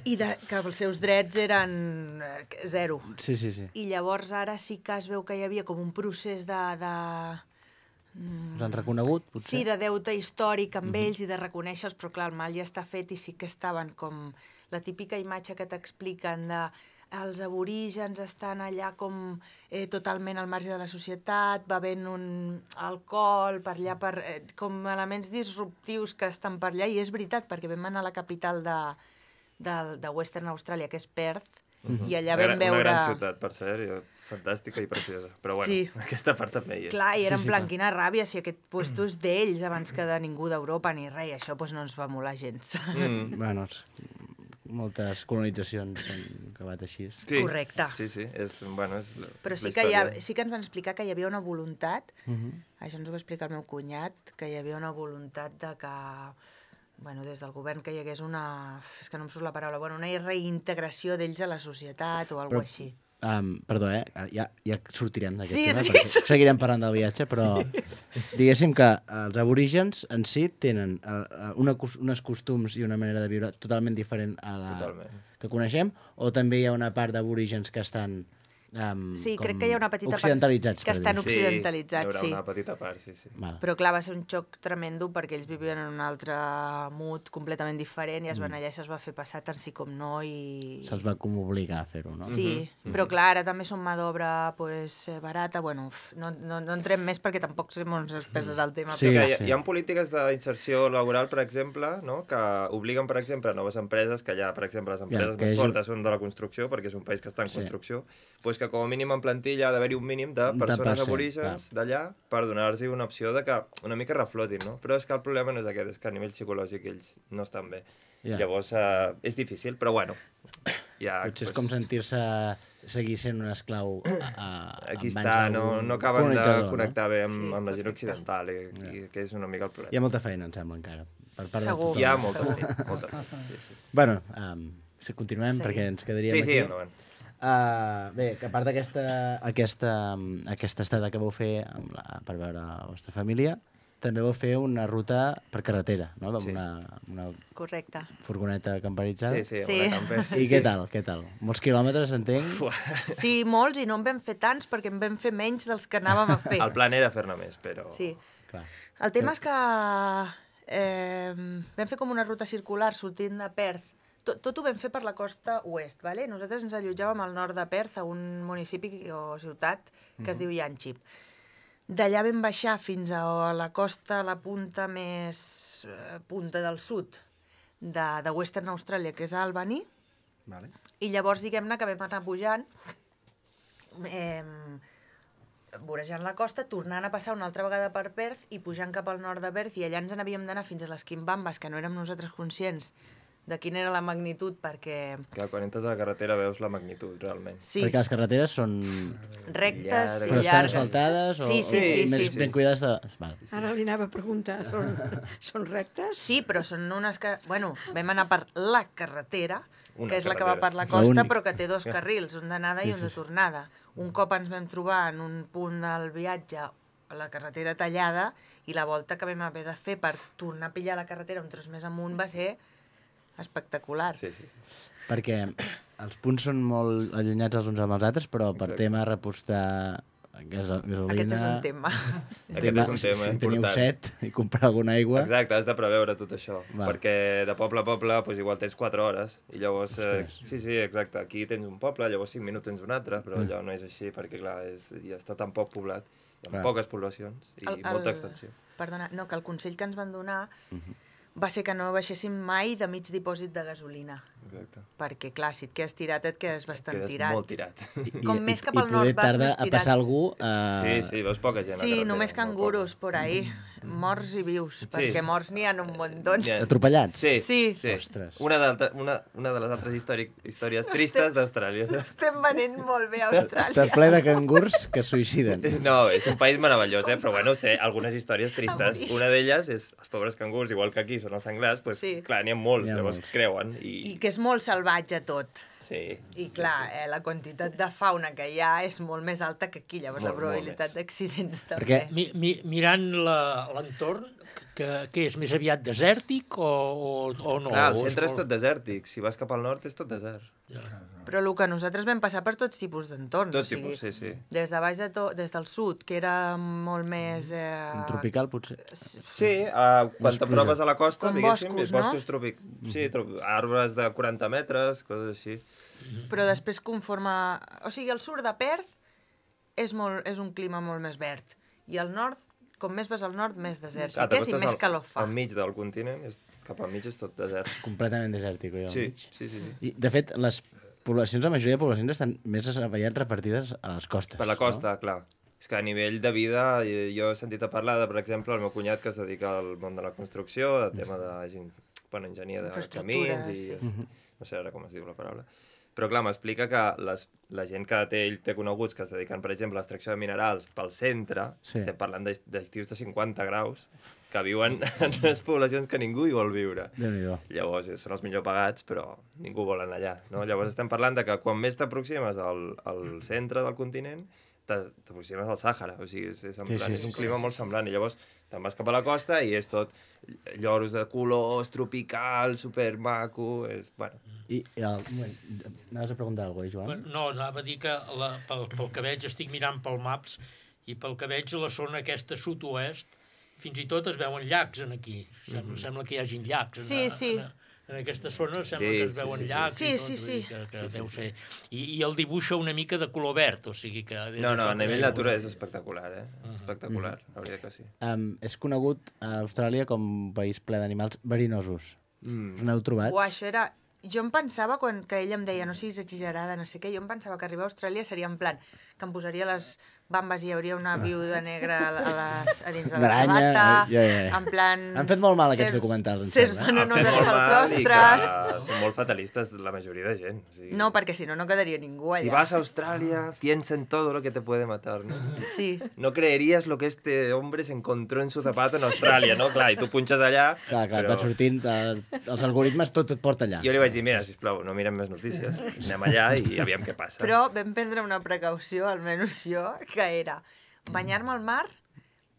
I de, que els seus drets eren eh, zero. Sí, sí, sí. I llavors ara sí que es veu que hi havia com un procés de... de Us han reconegut, potser? sí, de deute històric amb ells i de reconèixer-los, però clar, el mal ja està fet i sí que estaven com la típica imatge que t'expliquen de els aborígens estan allà com eh, totalment al marge de la societat, bevent un alcohol per allà, per, eh, com elements disruptius que estan per allà, i és veritat, perquè vam anar a la capital de, de, de Western Australia, que és Perth, i allà Una vam gran- veure... Una gran ciutat, per cert, i fantàstica i preciosa. Però bueno, Sí. aquesta part també hi és. Clar, i era Sí, en sí, plan, clar. quina ràbia, si aquest puesto és d'ells abans que de ningú d'Europa ni res, i això doncs, no ens va molar gens. Mm. Bueno, és... moltes colonitzacions han acabat així. Sí, Correcte. Sí, sí, és, bueno, és la, Però sí la que, hi ha, història. sí que ens van explicar que hi havia una voluntat, Uh -huh. això ens ho va explicar el meu cunyat, que hi havia una voluntat de que, bueno, des del govern que hi hagués una, és que no em surt la paraula, bueno, una reintegració d'ells a la societat o alguna Però- així. Um, perdó, eh? Ja, ja sortirem d'aquest Sí, tema, sí, perquè sí. seguirem parlant del viatge, però sí. Diguéssim que els aborígens en si tenen uh, una, cos- unes costums i una manera de viure totalment diferent a la Totalment. que coneixem, o també hi ha una part d'aborígens que estan um, Sí, com crec que hi ha una petita part occidentalitzats, que per estan dir-ho. occidentalitzats, sí. sí. Hi haurà una petita part, sí, sí. Val. Però clar, va ser un xoc tremendo perquè ells vivien en un altre mood completament diferent i es van allà i se'ls va fer passar tant sí com no i... Se'ls va com obligar a fer-ho, no? Sí, però clar, ara també són mà d'obra pues, eh, barata, bueno, uf, no, no, no entrem més perquè tampoc som uns experts en el tema. Sí, que però... hi, ha, sí. hi ha polítiques d'inserció laboral, per exemple, no? Que obliguen, per exemple, a noves empreses, que ja, per exemple, les empreses que més és- fortes són de la construcció, perquè és un país que està en Sí. construcció, doncs que com a mínim en plantilla ha d'haver-hi un mínim de De persones per cent, aborígens d'allà per donar-los una opció de que una mica reflotin, no? Però és que el problema no és aquest, és que a nivell psicològic ells no estan bé. Ja. Llavors, eh, és difícil, però bueno, ja... Potser és doncs, com sentir-se seguir sent un esclau a, a, Aquí en mans està, no, d'algun no acaben de colonitzador, connectar bé amb, Sí, amb la gent correcte. occidental, i, i que és una mica el problema. Hi ha molta feina, em sembla, encara. Per part de Segur. tothom. Hi ha molta Segur. feina, molta feina, sí, sí. Bueno, um, si continuem, Sí. perquè ens quedaríem Sí, aquí. sí, endavant. Uh, bé, que a part d'aquesta aquesta, um, aquesta estada que vau fer amb la, per veure la vostra família, també vau fer una ruta per carretera, no? Amb Sí. una, una Correcte. furgoneta camperitzada. Sí, sí, amb Sí. una camper, sí, I sí. què tal, què tal? Molts quilòmetres, entenc? Sí, molts, i no en vam fer tants perquè en vam fer menys dels que anàvem a fer. El plan era fer-ne més, però... Sí. Clar. El tema és que eh, vam fer com una ruta circular sortint de Perth. Tot, tot ho vam fer per la costa oest, ¿vale? Nosaltres ens allotjàvem al nord de Perth, a un municipi o ciutat que es diu Yanchep. D'allà vam baixar fins a la costa, a la punta més eh, punta del sud de, de Western Australia, que és Albany, Vale. i llavors diguem-ne que vam anar pujant, eh, vorejant la costa, tornant a passar una altra vegada per Perth i pujant cap al nord de Perth, i allà ens n'havíem d'anar fins a les Quimbambes, que no érem nosaltres conscients de quina era la magnitud, perquè Que quan entres a la carretera veus la magnitud, realment. sí, Perquè les carreteres són... rectes Llargues. i Però estan llargues. asfaltades o, Sí, sí, o sí, més sí. ben cuidades de... Vale. Ara li anava a preguntar, són, són rectes? Sí, però són unes que... Bueno, vam anar per la carretera, Una que és la que va carretera. per la costa, L'única. però que té dos carrils, un d'anada i un de tornada. Un cop ens vam trobar en un punt del viatge a la carretera tallada i la volta que vam haver de fer per tornar a pillar la carretera un tros més amunt va ser espectacular. Sí, sí, sí. Perquè els punts són molt allunyats els uns amb els altres, però per Exacte. tema repostar gasa- gasolina... Aquest és un tema. Aquest és un tema si teniu important. set i comprar alguna aigua... Exacte, has de preveure tot això, Val. perquè de poble a poble pues, igual tens quatre hores, i llavors... Eh, Ostres. sí, sí, exacte, aquí tens un poble, llavors cinc minuts tens un altre, però Mm. allò no és així, perquè clar, és, ja està tan poc poblat, amb Clar. poques poblacions i El- molta el- extensió. Perdona, no, que el consell que ens van donar va ser que no baixéssim mai de mig dipòsit de gasolina. Exacte. Perquè, clar, si et quedes tirat, et quedes bastant Quedes tirat. molt tirat. I, Com i, més cap i al nord poder vas, tarda més a tirat. passar algú... Uh, Sí, sí, veus poca gent a Sí, carretera, només molt canguros poca. por ahí, morts i vius, perquè morts n'hi ha un muntó. N'hi ha- Atropellats? Sí, Sí. sí. Ostres. Una, d'altra- una, una de les altres històric, històries tristes d'Austràlia. Estem venent molt bé a Austràlia. Està ple de cangurs que es suïciden. No, és un país meravellós, eh? Però bueno, té algunes històries tristes. Boníssim. Una d'elles és els pobres cangurs, igual que aquí són els senglars, pues, Sí. clar, n'hi ha molts, N'hi ha llavors molts. creuen. I, I que és molt salvatge tot. Sí. I clar, eh, la quantitat de fauna que hi ha és molt més alta que aquí, llavors Molt, la probabilitat molt d'accidents també. Perquè- Mi, mi, mirant la- l'entorn, que, que és més aviat desèrtic o, o, o no? Clar, el O centre és molt- tot desèrtic. Si vas cap al nord és tot desert. Però el que nosaltres vam passar per tots tipus d'entorns. Tot o sigui, tipus, sí, sí. Des de baix de to, des del sud, que era molt més... Eh, Un tropical, potser. Sí, uh, quan Les t'aproves a la costa, Com diguéssim, boscos, és no? boscos tropic... Sí, tro... arbres de quaranta metres, coses així. Però després conforme... O sigui, el sud de Perth és, molt, és un clima molt més verd. I al nord, com més vas al nord, més desèrtic Clar, és i t'acostes més al- calor fa. Al mig del continent, és, cap al mig és tot desert. Completament desèrtic, allò al Sí, mig. sí, sí. sí. I, de fet, les poblacions, la majoria de poblacions estan més aviat repartides a les costes. Per la costa, no? Clar. És que a nivell de vida, eh, jo he sentit a parlar de, per exemple, el meu cunyat que es dedica al món de la construcció, de tema de gent bueno, enginyer de Infraestructura, camins i... sí. No sé ara com es diu la paraula. Però clar, m'explica que les, la gent que té, ell té coneguts que es dediquen, per exemple, a l'extracció de minerals pel centre, Sí. estem parlant d'est- d'estius de cinquanta graus, que viuen en unes poblacions que ningú hi vol viure. Déu-n'hi-do. Llavors, eh, són els millor pagats, però ningú vol anar allà. No? Llavors estem parlant de que quan més t'aproximes al, al centre del continent, t'a- t'aproximes al Sàhara. O sigui, és, és, en Sí, plan, sí, és un sí, clima molt semblant. I llavors te'n vas cap a la costa i és tot lloros de colors, tropical, supermaco... És, bueno. I, i el, un moment, anaves a preguntar alguna cosa, eh, Joan? No, anava a dir que la, pel, pel que veig, estic mirant pel Maps, i pel que veig a la zona aquesta sud-oest, fins i tot es veuen llacs en aquí. Sembla, mm -hmm. sembla que hi hagin llacs. Sí, en, sí. En, en aquesta zona sembla Sí, que es sí, veuen sí, sí. llacs Sí, i tot, sí, vull sí. dir que, que deu ser... I, I el dibuixa una mica de color verd, o sigui que... és No, no, això a que nivell deia. natura és espectacular, eh? Espectacular, la veritat que sí. Um, és conegut a Austràlia com un país ple d'animals verinosos. Mm. Us n'heu trobat? Uau, això era... Jo em pensava, quan que ell em deia no siguis exagerada, no sé què, jo em pensava que arribar a Austràlia seria en plan que em posaria les bambes i hi hauria una viuda negra a, a, les, a dins de la Aranya, sabata, ja, ja, ja. en plan... Han fet molt mal aquests ser- documentals, em Ser sembla, eh? venenoses Han fet molt pels mal i ostres... que Són molt fatalistes la majoria de gent. O sigui, No, perquè si no, no quedaria ningú allà. si vas a Australia, piensa en todo lo que te puede matar, ¿no? Sí. No creerías lo que este hombre se encontró en su zapato en Austràlia, no? Clar, i tu punxes allà... Clar, clar, però... van sortint, eh, els algoritmes tot et porta allà. Jo li vaig dir, mira, sisplau, no mirem més notícies, anem allà i aviam què passa. Però vam prendre una precaució, almenys jo, que era banyar-me al mar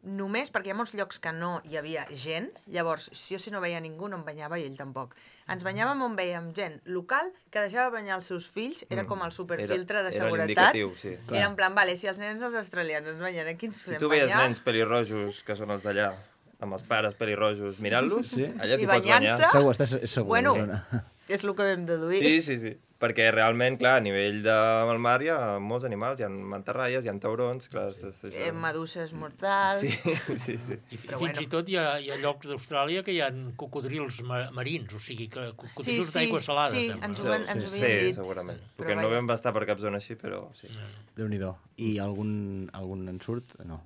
només perquè hi ha molts llocs que no hi havia gent, llavors, si jo si no veia ningú no em banyava i ell tampoc. Ens banyàvem on veiem gent local que deixava banyar els seus fills, era com el superfiltre de Era- era seguretat. l'indicatiu, sí. Era en plan, vale, si els nens dels australians ens banyen, aquí ens Si podem tu veies banyar. nens pelirrojos, que són els d'allà, amb els pares pelirrojos, mirant-los, Sí. allà I t'hi pots banyar. banyant-se. Segur, estàs segur. Bueno, Zona. és el que vam deduir. Sí, sí, sí. Perquè realment, clar, a nivell del mar hi ha molts animals, hi ha mantarraies, hi ha taurons, clar... És, és, és... Eh, meduses mortals... Sí, sí, sí. I, i Però fins bueno. i tot hi ha, hi ha llocs d'Austràlia que hi ha cocodrils ma marins, o sigui, que cocodrils Sí, sí, d'aigua salada, sí, sembla. ens ho van- ens ho sí, havien dit. segurament. Però Perquè no vaja. vam bastar per cap zona així, però sí. Déu-n'hi-do. I algun, algun en surt? No.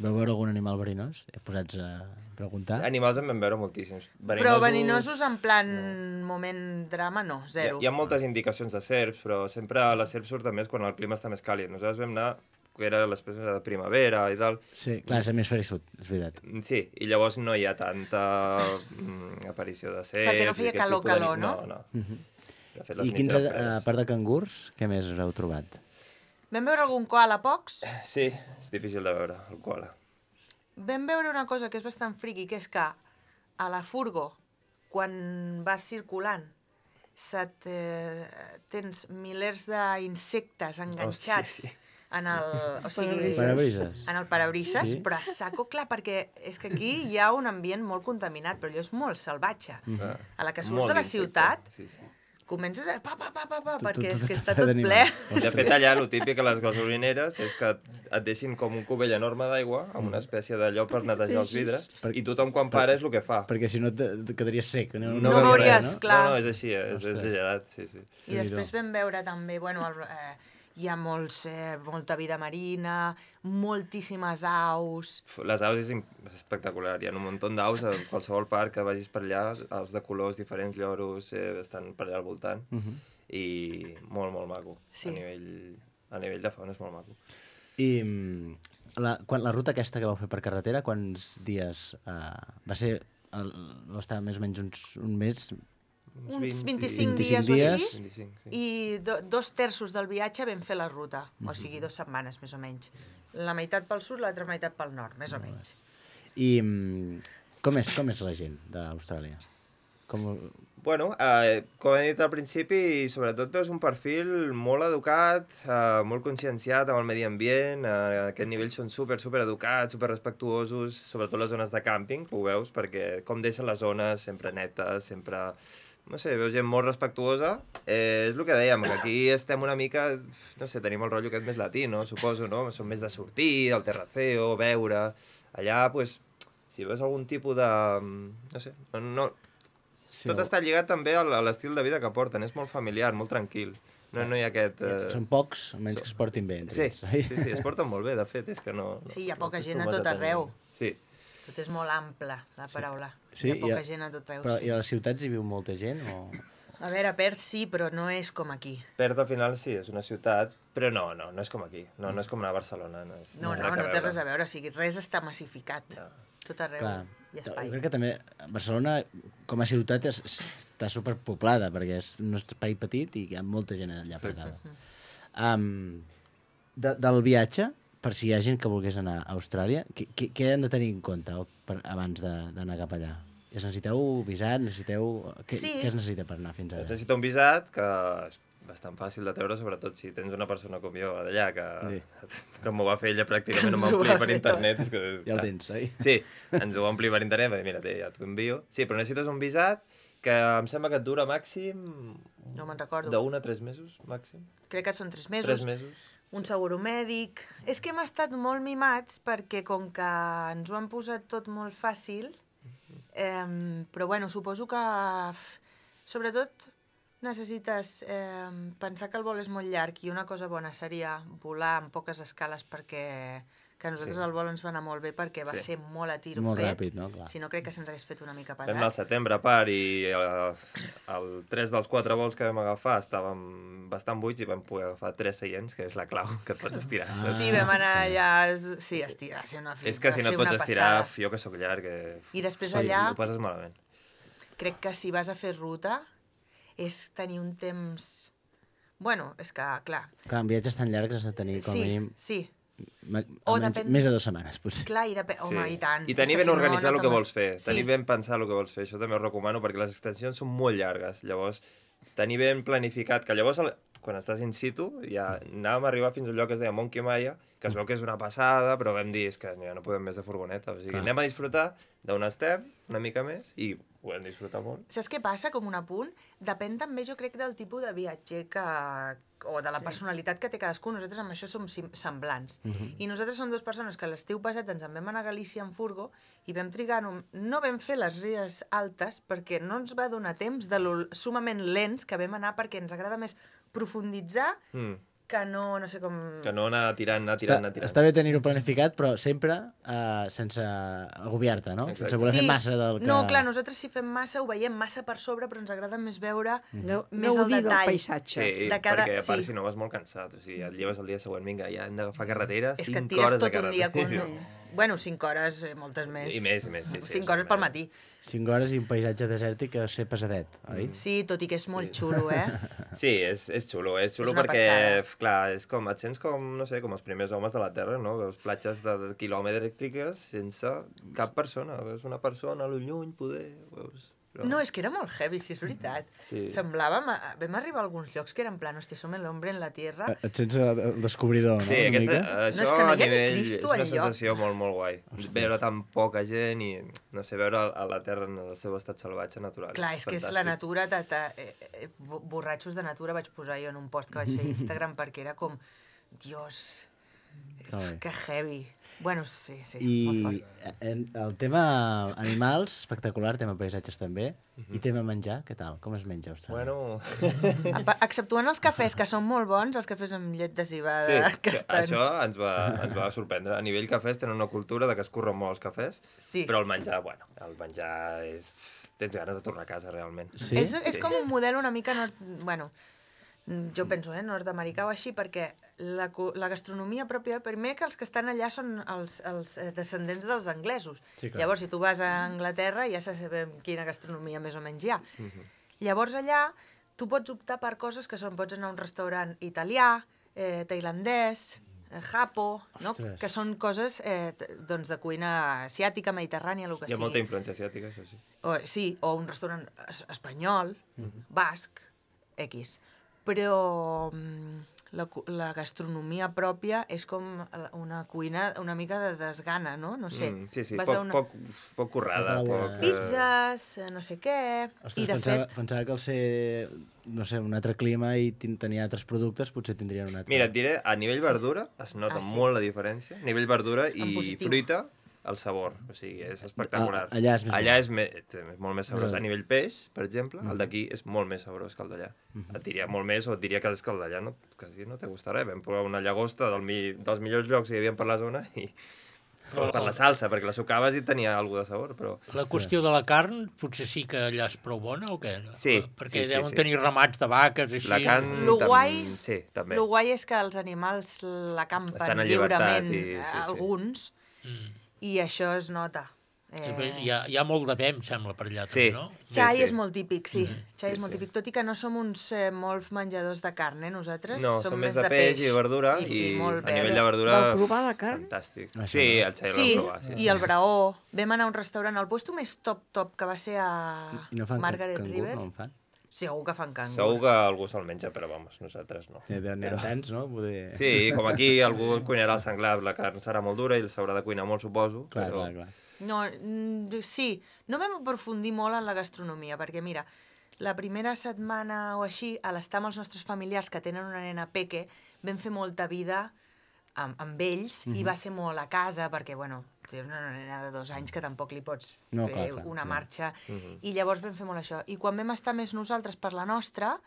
Veu veure algun animal verinós? Posats a preguntar? Animals en vam veure moltíssims. Però veninosos en plan moment drama, no, Hi ha, zero. hi ha moltes indicacions de serps, però sempre la serp surt més quan el clima està més càlid. Nosaltres vam anar, que era l'espècie de primavera i tal. Sí, clar, és hemisferi sud, és veritat. Sí, i llavors no hi ha tanta mm, aparició de serps... Perquè no i feia aquest calor, tipus de- calor, no? No, no. Mhm. De fet, les I nits quins, eren a, fredes. a part de cangurs, què més us heu trobat? Vam veure algun koala pocs. Sí, és difícil de veure, el koala. Vam veure una cosa que és bastant friqui, que és que a la furgo, quan vas circulant, se't, eh, tens milers d'insectes enganxats sí, sí. en el, o sigui, Parabrises. Parabrises. en el parabrises, Sí. però a saco, clar, perquè és que aquí hi ha un ambient molt contaminat, però allò és molt salvatge. Ah, A la que surts molt de la d'insecte, ciutat, Sí, sí. comences a... Pa, pa, pa, pa, pa, Tot- perquè tot és que està està tot d'animal. ple. De fet, allà, el típic a les gasolineres és que et deixin com un cubell enorme d'aigua amb una espècie d'allò per netejar els vidres Per- i tothom quan para és el que fa. Perquè si no te, te quedaries sec. No, No veuries veuries, res, no? clar. No, no, és així, eh? és Ostres. exagerat, sí, sí. I després vam veure també, bueno, el, eh, hi ha molts, eh, molta vida marina, moltíssimes aus... F- Les aus és im- és espectacular, hi ha un munt d'aus a qualsevol parc que vagis per allà, aus de colors diferents, lloros, eh, estan per allà al voltant, Mhm. i molt, molt maco. Sí. A nivell, a nivell de fauna és molt maco. I mm, la, quan, la ruta aquesta que vau fer per carretera, quants dies uh, va ser? El, va estar més o menys uns, un mes? Uns vint- vint-i-cinc vint-i-cinc dies o dies. així, vint-i-cinc, sí. i do, dos terços del viatge vam fer la ruta, o sigui, dues setmanes més o menys. La meitat pel sud, l'altra meitat pel nord, més o menys. I mm, com, és, com és la gent d'Austràlia? Com... Bueno, eh, com he dit al principi, sobretot veus un perfil molt educat, eh, molt conscienciat amb el medi ambient, eh, a aquest nivell són super, super educats, super respectuosos, sobretot les zones de càmping, que ho veus, perquè com deixen les zones sempre netes, sempre... No sé, veus gent molt respectuosa. Eh, és el que dèiem, que aquí estem una mica, no sé, tenim el rotllo aquest més latí, no? Suposo, no? Som més de sortir, del terraceo, beure... Allà, pues, si veus algun tipus de... No sé, no... no Sí, tot està lligat també a l'estil de vida que porten, és molt familiar, molt tranquil. No, no hi ha aquest... Eh... Són pocs, almenys que es portin bé. Entre Sí, ells, oi? sí, sí, es porten molt bé, de fet, és que no... no Sí, hi ha poca no gent a acostumes tot tenir- arreu. Sí, Tot és molt ample, la paraula. Sí, Hi ha poca i a- gent a tot arreu. Però Sí. i a les ciutats hi viu molta gent? O... A veure, a Perth sí, però no és com aquí. Perth al final sí, és una ciutat, però no, no, no és com aquí. No, no és com anar a Barcelona. No, és, No, no, no té res a veure. O sigui, res està massificat. No. Tot arreu Clar, hi ha jo espai. crec que també Barcelona, com a ciutat, és, està superpoblada, perquè és un espai petit i hi ha molta gent allà aparcada. Um, de, del viatge, per si hi ha gent que volgués anar a Austràlia, què, què, què han de tenir en compte per, abans de- d'anar cap allà? Es necessiteu visat? Necessiteu... Què, Sí. què es necessita per anar fins Es allà? necessita un visat que és bastant fàcil de treure, sobretot si tens una persona com jo d'allà, que, Sí. que m'ho va fer ella pràcticament, Ens m'ho ho ompli va per fer internet. És que, és, Ja el clar. tens, oi? Sí, ens ho va omplir per internet, va dir, mira, té, ja t'ho envio. Sí, però necessites un visat que em sembla que et dura màxim No me'n recordo. d'un a tres mesos, màxim. Crec que són tres mesos. Tres mesos. Un seguro mèdic... És que hem estat molt mimats perquè com que ens ho han posat tot molt fàcil, eh, però bueno, suposo que sobretot necessites eh, pensar que el vol és molt llarg i una cosa bona seria volar amb poques escales perquè que a nosaltres Sí. el vol ens va anar molt bé perquè va Sí. ser molt a tiro Molt fet. ràpid, no? Clar. Si no, crec que se'ns hagués fet una mica Vam anar al pesat. setembre a part i el, el tres dels quatre vols que vam agafar estàvem bastant buits i vam poder agafar tres seients, que és la clau, que et pots estirar. Ah. Sí, vam anar allà... Sí, estirar, va ser una És que si va no et ser pots una estirar, passada. jo que sóc llarg, que... I després Sí, allà- ho passes malament. Crec que si vas a fer ruta és tenir un temps... Bueno, és que, clar... Clar, en viatges tan llargs has de tenir com a Sí, mínim sí, ma- O almenys depèn- més de dues setmanes, potser. clar, i depèn... Home, i tant. I És tenir que ben si no, organitzat no el que te'n- vols fer, Sí. tenir ben pensat el que vols fer, això també ho recomano perquè les extensions són molt llargues, llavors tenir ben planificat, que llavors el- quan estàs in situ ja anàvem a arribar fins a un lloc que es deia Monkey Maya, que es veu que és una passada, però vam dir, és que ja no podem més de furgoneta, o sigui, Clar. anem a disfrutar d'on estem, una mica més, i ho vam disfrutar molt. Saps què passa, com un apunt? Depèn també, jo crec, del tipus de viatger que... o de la personalitat que té cadascú. Nosaltres amb això som sim- semblants. I nosaltres som dues persones que l'estiu passat ens en vam anar a Galícia en furgo i vam trigar... No, no vam fer les ries altes perquè no ens va donar temps de lo sumament lents que vam anar perquè ens agrada més profunditzar Mm. que no, no sé com... Que no anar tirant, anar Està, tirant, anar tirant. està bé tenir-ho planificat, però sempre uh, sense agobiar-te, no? Exacte. Sense voler fer massa del que... No, clar, nosaltres si fem massa ho veiem massa per sobre, però ens agrada més veure No, més no el dir del detall. paisatge. Sí, de cada- perquè a part sí. si no vas molt cansat, o sigui, et lleves el dia següent, vinga, ja hem d'agafar carretera, És que et cinc tires hores de tot un dia... carretera. Con... Bueno, cinc hores, eh, moltes més. I més, i més, sí, sí. Cinc això hores pel més. matí. Cinc hores i un paisatge desèrtic que ha de ser pesadet, oi? Sí, tot i que és molt xulo, eh? Sí, és, és xulo, és xulo És una perquè, passada. f- clar, és com, et sents com, no sé, com els primers homes de la Terra, no? Veus platges de, de quilòmetriques sense cap persona, veus una persona a lo lluny, poder, veus... Però... No, és que era molt heavy, si és veritat. Sí. Semblàvem... a- Vam arribar a alguns llocs que eren en plan, hòstia, som l'hombre en la tierra. Et sents el el descobridor, no? Sí, Una aquesta, mica? això No, és que no a hi ha ni nivell Cristo és una enlloc. sensació molt, molt guai. Veure tan poca gent i, no sé, veure a la Terra en el seu estat salvatge natural. Clar, és que és la natura... De, de, eh, eh, bo- borratxos de natura vaig posar jo en un post que vaig fer a Instagram perquè era com... Dios, Que bé. que heavy. Bueno, sí, sí, I molt fort. en, el tema animals, espectacular, tema paisatges també, i tema menjar, què tal? Com es menja a Austràlia? Bueno, Apa- Exceptuant els cafès, que són molt bons, els cafès amb llet de cibada, sí, que que estan... això ens va, ens va sorprendre. A nivell cafès tenen una cultura de que es curren molt els cafès, Sí. però el menjar, bueno, el menjar és... Tens ganes de tornar a casa, realment. Sí? És, és Sí. com un model una mica nord... Bueno, jo penso, eh, nord-americà o així, perquè la, cu- la gastronomia pròpia, primer que els que estan allà són els, els eh, descendents dels anglesos. Sí, clar. Llavors, si tu vas a Anglaterra, ja sabem quina gastronomia més o menys hi ha. Llavors, allà, tu pots optar per coses que són, pots anar a un restaurant italià, eh, tailandès, eh, japo, no? Ostres. Que són coses eh, t- doncs de cuina asiàtica, mediterrània, el que Hi ha sigui. molta influència asiàtica, això sí. O, sí, o un restaurant es espanyol, basc, X. Però mm, la, cu- la gastronomia pròpia és com una cuina una mica de desgana, no? No sé. Mm, sí, sí, vas poc, a una... poc, poc currada, Poc poc... elaborada. eh, Pizzas, eh, no sé què... Ostres, I de pensava, fet... pensava que al ser, no sé, un altre clima i tin- tenir altres productes, potser tindrien un altre... Mira, et diré, a nivell verdura es nota Ah, sí? molt la diferència. A nivell verdura En i positiu. fruita, el sabor. O sigui, és espectacular. Ah, allà és més allà bo. és, me, és molt més sabrós. Més bo. A nivell peix, per exemple, Mhm. el d'aquí és molt més sabrós que el d'allà. Et diria molt més, o et diria que és que el d'allà no, quasi no té gust res. Vam provar una llagosta del mi, dels millors llocs que hi havia per la zona i per la salsa, perquè la sucaves i tenia alguna de sabor, però... La qüestió de la carn, potser sí que allà és prou bona o què? Sí, Perquè sí, sí, deuen sí. tenir ramats de vaques, així. La carn... Lo tam- guai, Sí, també. lo guai és que els animals la campen Estan en llibertat lliurement, i- sí, sí. alguns, Mm. i això es nota. Després Hi ha, hi ha molt de bé, em sembla, per allà, Sí. també, no? Xai sí. és molt típic, sí. Xai és Sí, molt sí. típic, tot i que no som uns eh, molts menjadors de carn, eh, nosaltres. No, som més de peix i de verdura, i, i molt a nivell verd. de verdura... Vau provar la carn? Fantàstic. Això Sí, no. el xai Sí, l'hem provat. Sí, i el braó. Vam anar a un restaurant, al puesto més top-top, que va ser a No fan Margaret cangur, River. no en fan? Segur que fan cangur. Segur que algú se'l menja, però vamos, nosaltres no. N'hi ha tants, no? Poder... Sí, com aquí algú cuinarà el senglar, la carn serà molt dura i s'haurà de cuinar molt, suposo. Clar, però... clar, clar. No, mm, sí, no vam aprofundir molt en la gastronomia, perquè mira, la primera setmana o així, a l'estar amb els nostres familiars que tenen una nena peque, vam fer molta vida amb, amb ells Mhm. i va ser molt a casa, perquè, bueno, té una nena de dos anys que tampoc li pots No, fer clar, clar, una clar. marxa, Mhm. i llavors vam fer molt això. I quan vam estar més nosaltres per la nostra,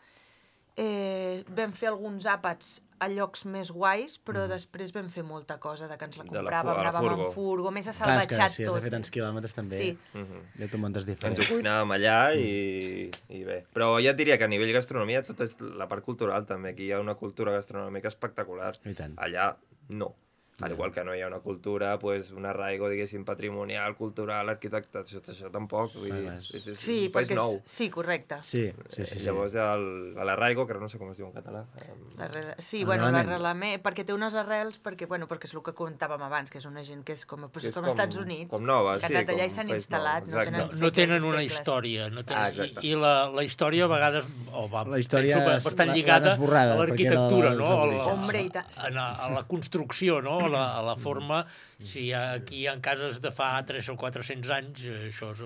eh, vam fer alguns àpats a llocs més guais, però després vam fer molta cosa de que ens la De la compràvem, fu- a la anàvem furgo. en furgo, més Clar, és assalvatjat que si has tot. de fer tants quilòmetres també, Sí. Mhm. ja t'ho muntes Ens diferent. ho cuinàvem allà i, i bé. Però ja et diria que a nivell gastronomia tot és la part cultural també. Aquí hi ha una cultura gastronòmica espectacular. I tant. Allà no. Al igual que no hi ha una cultura, pues, un arraigo, diguéssim, patrimonial, cultural, arquitecte, això, això tampoc. Vull dir, Clar, és, és, és Sí, un país perquè nou. és... Sí, correcte. Sí, sí, sí. Eh, sí. Llavors el- l'arraigo, que no sé com es diu en català. em, L'arrel- Sí, bueno, Arrelament. l'arrelament, perquè té unes arrels, perquè, bueno, perquè és el que comentàvem abans, que és una gent que és com, pues, Que és com, com- als Estats Units, com nova, que sí, han anat allà com i s'han un país instal·lat, nou, no exacte. tenen No, no segles tenen i una segles. història. No tenen, Ah, exacte. I, i la, la història a vegades o va, La història penso, és- bastant l'han lligada esborrada, a perquè l'arquitectura, era no? dels A la, orígens. Hombre, i tant. a, a, a la construcció, no? A la, a la forma. Si aquí hi ha cases de fa tres o quatre-cents anys, eh, això és,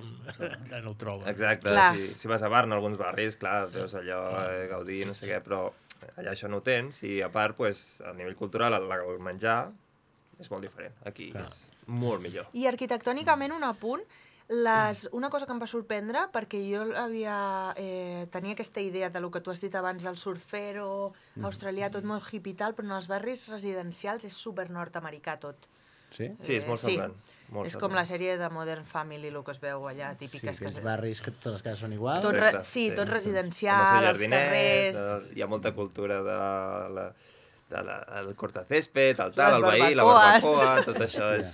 ja no ho troben. Exacte, Clar. si, si vas a Barna, alguns barris, clar, sí. Veus allò, eh, Gaudí, no sé què, però allà això no ho tens, i a part, pues, a nivell cultural, el, el menjar és molt diferent. Aquí Clar. és molt millor. I arquitectònicament, un apunt, les, una cosa que em va sorprendre, perquè jo havia, eh, tenia aquesta idea de lo que tu has dit abans del surfero australià, tot molt hippie i tal, però en els barris residencials és super nord-americà tot. Sí? Sí, és molt Eh, sí. semblant. Molt És semblant. com la sèrie de Modern Family, el que es veu allà, Sí, típiques. aquells que... barris que totes les cases són iguals. Tot Exacte, re- sí, tot Amb residencial, el seu els jardinet, carrers... eh, hi ha molta cultura de la, de la, el cortacésped, el tal, Les el veí, la barbacoes. barbacoa, tot això és...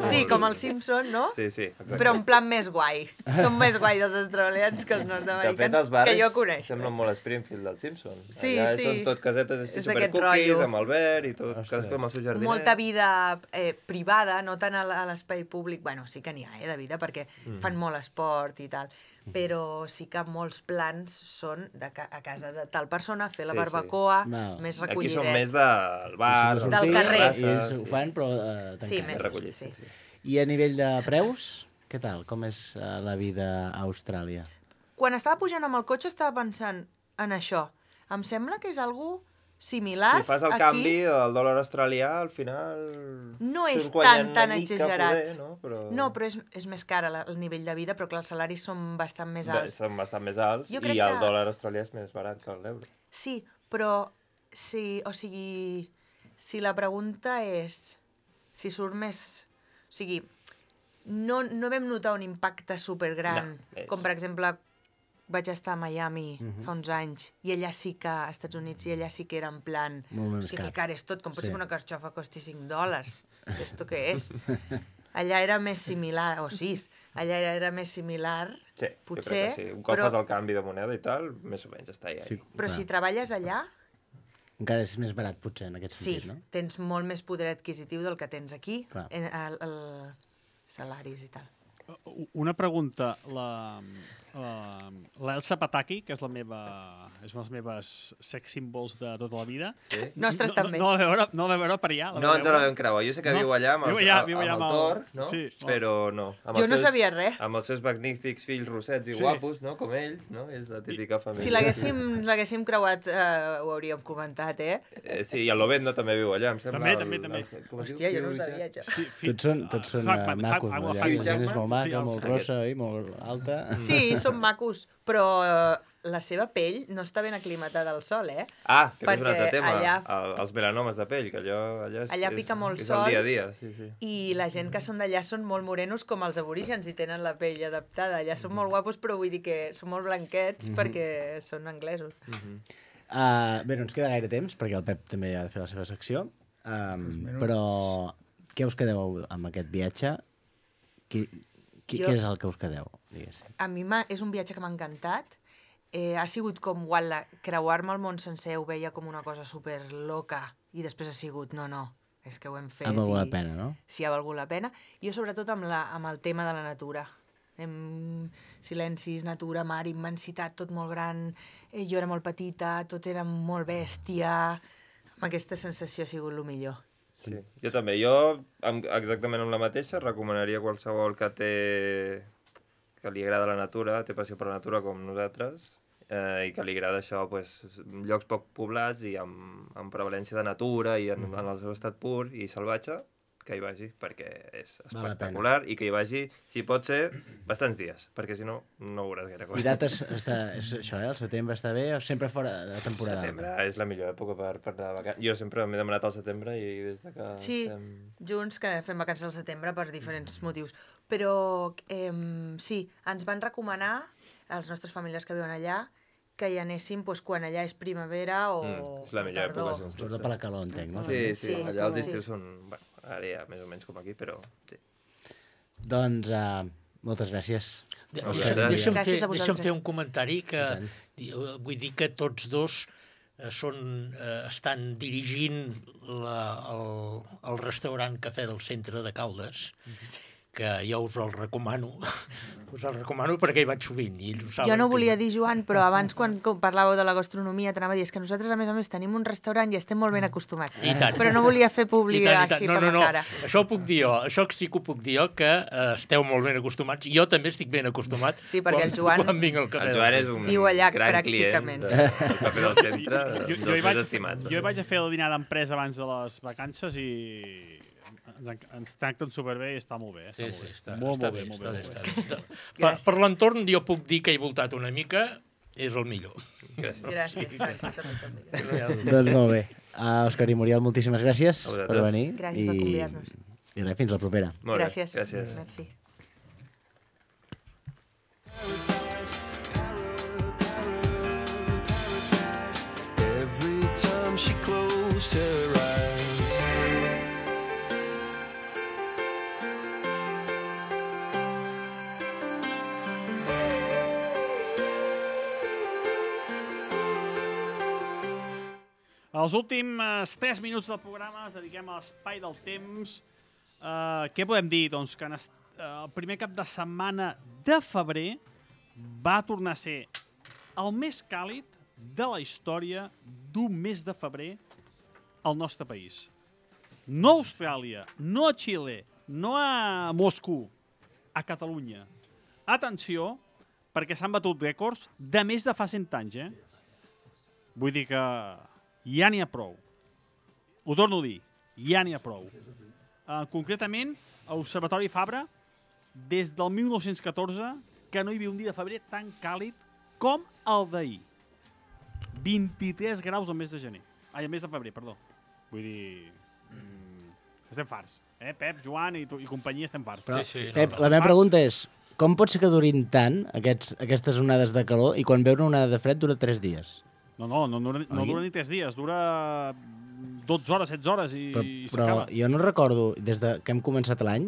Sí, com el Simpson, no? Sí, sí, exacte. Però en plan més guai. Són més guais els australians que els De fet, nord-americans, els barris que jo coneixo. semblen molt Springfield del Simpson. Sí, Allà sí. són tot casetes així És d'aquest supercookies, rotllo. amb el verd i tot, Ostres. cadascú amb el seu jardinet. Molta vida eh, privada, no tant a l- a l'espai públic. Bueno, sí que n'hi ha, eh, de vida, perquè Mm. fan molt esport i tal. Però sí que molts plans són de ca a casa de tal persona, fer la Sí, sí. barbacoa, Val. més Aquí recollidet. són més del bar, Són de Del sortir, carrer. I ells sí. ho fan, però eh, Sí, tancats. més. recollit, sí, sí. sí. I a nivell de preus, què tal? Com és eh, la vida a Austràlia? Quan estava pujant amb el cotxe estava pensant en això. Em sembla que és algo similar Si fas el aquí. canvi del dòlar australià, al final... No surts és guanyant tan, tan una mica, exagerat. Poder, no? Però... No, però és, és més car la- el nivell de vida, però clar, els salaris són bastant més Bé, alts. són bastant més alts Jo i crec el que- dòlar australià és més barat que l'euro. Sí, però si, o sigui, si la pregunta és si surt més... O sigui, no, no vam notar un impacte supergran, No, és- com per exemple vaig estar a Miami fa uns anys i allà sí que, a Estats Units, i allà sí que era en plan, Molt més hosti, car. que car és tot, com pot Sí. ser que una carxofa costi cinc dòlars? Esto què és? Allà era més similar, o sis, allà era, era més similar, Sí, potser, jo crec que sí. Un cop però, fas el canvi de moneda i tal, més o menys està ahí. Sí, però clar. si treballes allà, Encara és més barat, potser, en aquest sí, sentit, no? tens molt més poder adquisitiu del que tens aquí, Clar. en, el, el salaris i tal. Una pregunta. La, la, l'Elsa Pataki, que és la meva, és una de les meves sex symbols de tota la vida. Sí? Nostres no, també. No, no, la veure, no la va veure per allà. La No va ens la veure. vam creuar. Jo sé que No, viu allà amb, viu els, allà, amb, viu allà amb el amb el- Thor, no? sí, oh. Però no. Amb Jo els no seus, sabia res. Amb els seus magnífics fills rossets i Sí. guapos, no? Com ells, no? És la típica família. Si l'haguéssim l'haguéssim creuat, eh, ho hauríem comentat, eh? Eh, sí, i el Lovendo també viu allà, em sembla. També, el, també, també. El, com es Hòstia, jo diu? no ho sabia, això. Sí, fi- Tots són, tots són Hackman, uh, macos, Hack- no? Hack- Allà, la gent és Jackman? molt maca, Sí, el- molt aquest. grossa i molt alta. Sí, són macos, però eh, la seva pell no està ben aclimatada al sol, eh? Ah, que és un altre Perquè tema, allà- el, els melanomes de pell, que allò, allò és, Allà és, pica molt és sol. el dia a dia. Sí, sí. I la gent que són d'allà són molt morenos com els aborígens i tenen la pell adaptada. Allà són molt guapos, però vull dir que són molt blanquets Mhm. perquè són anglesos. Uh, bé, no ens queda gaire temps, perquè el Pep també ha de fer la seva secció. Um, minuts. però què us quedeu amb aquest viatge? Qui, qui, Jo- Què és el que us quedeu? Diguéssim. A mi m'ha- és un viatge que m'ha encantat. Eh, ha sigut com guala, creuar-me el món sencer, ho veia com una cosa super loca i després ha sigut, no, no, és que ho hem fet. Ha valgut i- la pena, no? Sí, ha valgut la pena. Jo sobretot amb, la, amb el tema de la natura. Hem... Silencis, natura, mar, immensitat, tot molt gran. Eh, jo era molt petita, tot era molt bèstia. Amb aquesta sensació ha sigut el millor. Sí, jo també. Jo, amb, exactament amb la mateixa, recomanaria a qualsevol que té... que li agrada la natura, té passió per la natura com nosaltres, eh, i que li agrada això, pues, llocs poc poblats i amb, amb prevalència de natura i en, en el seu estat pur i salvatge, que hi vagi, perquè és Val la espectacular i que hi vagi, si pot ser, bastants dies, perquè si no, no veuràs gaire cosa. I dates, està, és això, eh? El setembre està bé o sempre fora de temporada? Setembre és la millor època per, per anar de vacances. Jo sempre m'he demanat al setembre i des de que Sí, estem... junts que fem vacances al setembre per diferents motius. Però eh, sí, ens van recomanar, a les nostres famílies que viuen allà, que hi anéssim pues, quan allà és primavera o, Mm, és la o millor tardor. època, sens dubte. Sobretot per la calor, entenc, no? Sí, sí, Sí, allà els sí. estius són... Bueno, ara ja més o menys com aquí, però sí. Doncs uh, moltes gràcies. De, Moltes deixa'm, gràcies. deixa'm, fer, Gràcies a deixa'm vosaltres. fer un comentari que I tant. eh, vull dir que tots dos eh, són, eh, estan dirigint la, el, el restaurant Cafè del Centre de Caldes, que jo us el recomano. Us el recomano perquè hi vaig sovint. I ells ho saben Jo no que- volia dir, Joan, però abans quan com parlàveu de la gastronomia t'anava a dir és que nosaltres, a més a més, tenim un restaurant i estem molt ben acostumats. I tant. Però no volia fer I publi tant, i tant. així No, per no, la no. cara. Això ho puc dir jo. Això sí que ho puc dir jo, que eh, esteu molt ben acostumats. Jo també estic ben acostumat. Sí, perquè quan, el Joan- Quan vinc al Cafè El del Joan és Centre. un Viu allà, gran pràcticament. client de- del Cafè del Centre, Jo, dels jo, hi més vaig, estimats. jo hi vaig a fer el dinar d'empresa abans de les vacances i ens, en- ens tracten superbé i està molt bé. Està Sí, molt sí, bé. està, molt, està molt bé, bé, molt està bé, bé, està molt bé. bé. Per, per l'entorn jo puc dir que he voltat una mica, és el millor. Gràcies. Gràcies. Joan, tu també ets amiga. Doncs molt bé. Uh, Òscar i Muriel, moltíssimes gràcies A vosaltres. per venir. Gràcies per I, convidar-nos. I res, fins la propera. Molt bé, Gràcies. gràcies. Merci. Every time she closed her eyes. Els últims tres minuts del programa es dediquem a l'espai del temps. Uh, què podem dir? Doncs que en est, uh, el primer cap de setmana de febrer va tornar a ser el més càlid de la història d'un mes de febrer al nostre país. No a Austràlia, no a Xile, no a Moscou, a Catalunya. Atenció, perquè s'han batut rècords de més de fa cent anys, eh? Vull dir que ja n'hi ha prou. Ho torno a dir, ja n'hi ha prou. Uh, concretament, a l'Observatori Fabra, des del mil nou-cents catorze, que no hi havia un dia de febrer tan càlid com el d'ahir. vint-i-tres graus al mes de gener. Ai, al mes de febrer, perdó. Vull dir... Mm, estem farts. Eh, Pep, Joan i, tu, i companyia estem farts. Però, Sí, sí, no, Pep, no, la meva farts. pregunta és, com pot ser que durin tant aquests, aquestes onades de calor i quan ve una onada de fred dura tres dies? No, no, no, no, no Oi? dura ni tres dies, dura dotze hores, setze hores i, Però, i però s'acaba. jo no recordo, des de que hem començat l'any,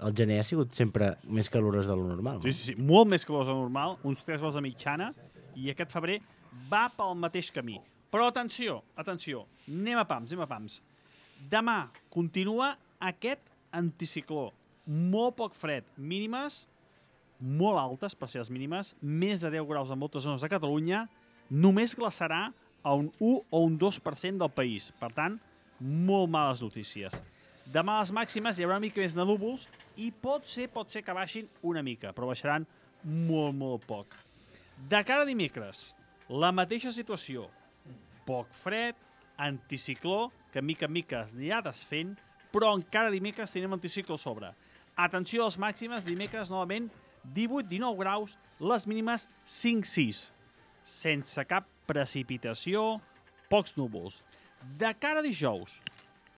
el gener ha sigut sempre més calorós de lo normal. Sí, sí, sí, molt més calor de normal, uns tres graus de mitjana, i aquest febrer va pel mateix camí. Però atenció, atenció, anem a pams, anem a pams. Demà continua aquest anticicló, molt poc fred, mínimes molt altes per ser les mínimes, més de deu graus en moltes zones de Catalunya, només glaçarà a un u o un dos per cent del país. Per tant, molt males notícies. Demà a les màximes hi haurà una mica més de núvols i pot ser, pot ser que baixin una mica, però baixaran molt, molt poc. De cara a dimecres, la mateixa situació. Poc fred, anticicló, que mica en mica es anirà desfent, però encara dimecres tenim anticicló a sobre. Atenció a les màximes, dimecres novament divuit dinou graus, les mínimes cinc sis. sense cap precipitació, pocs núvols. De cara a dijous,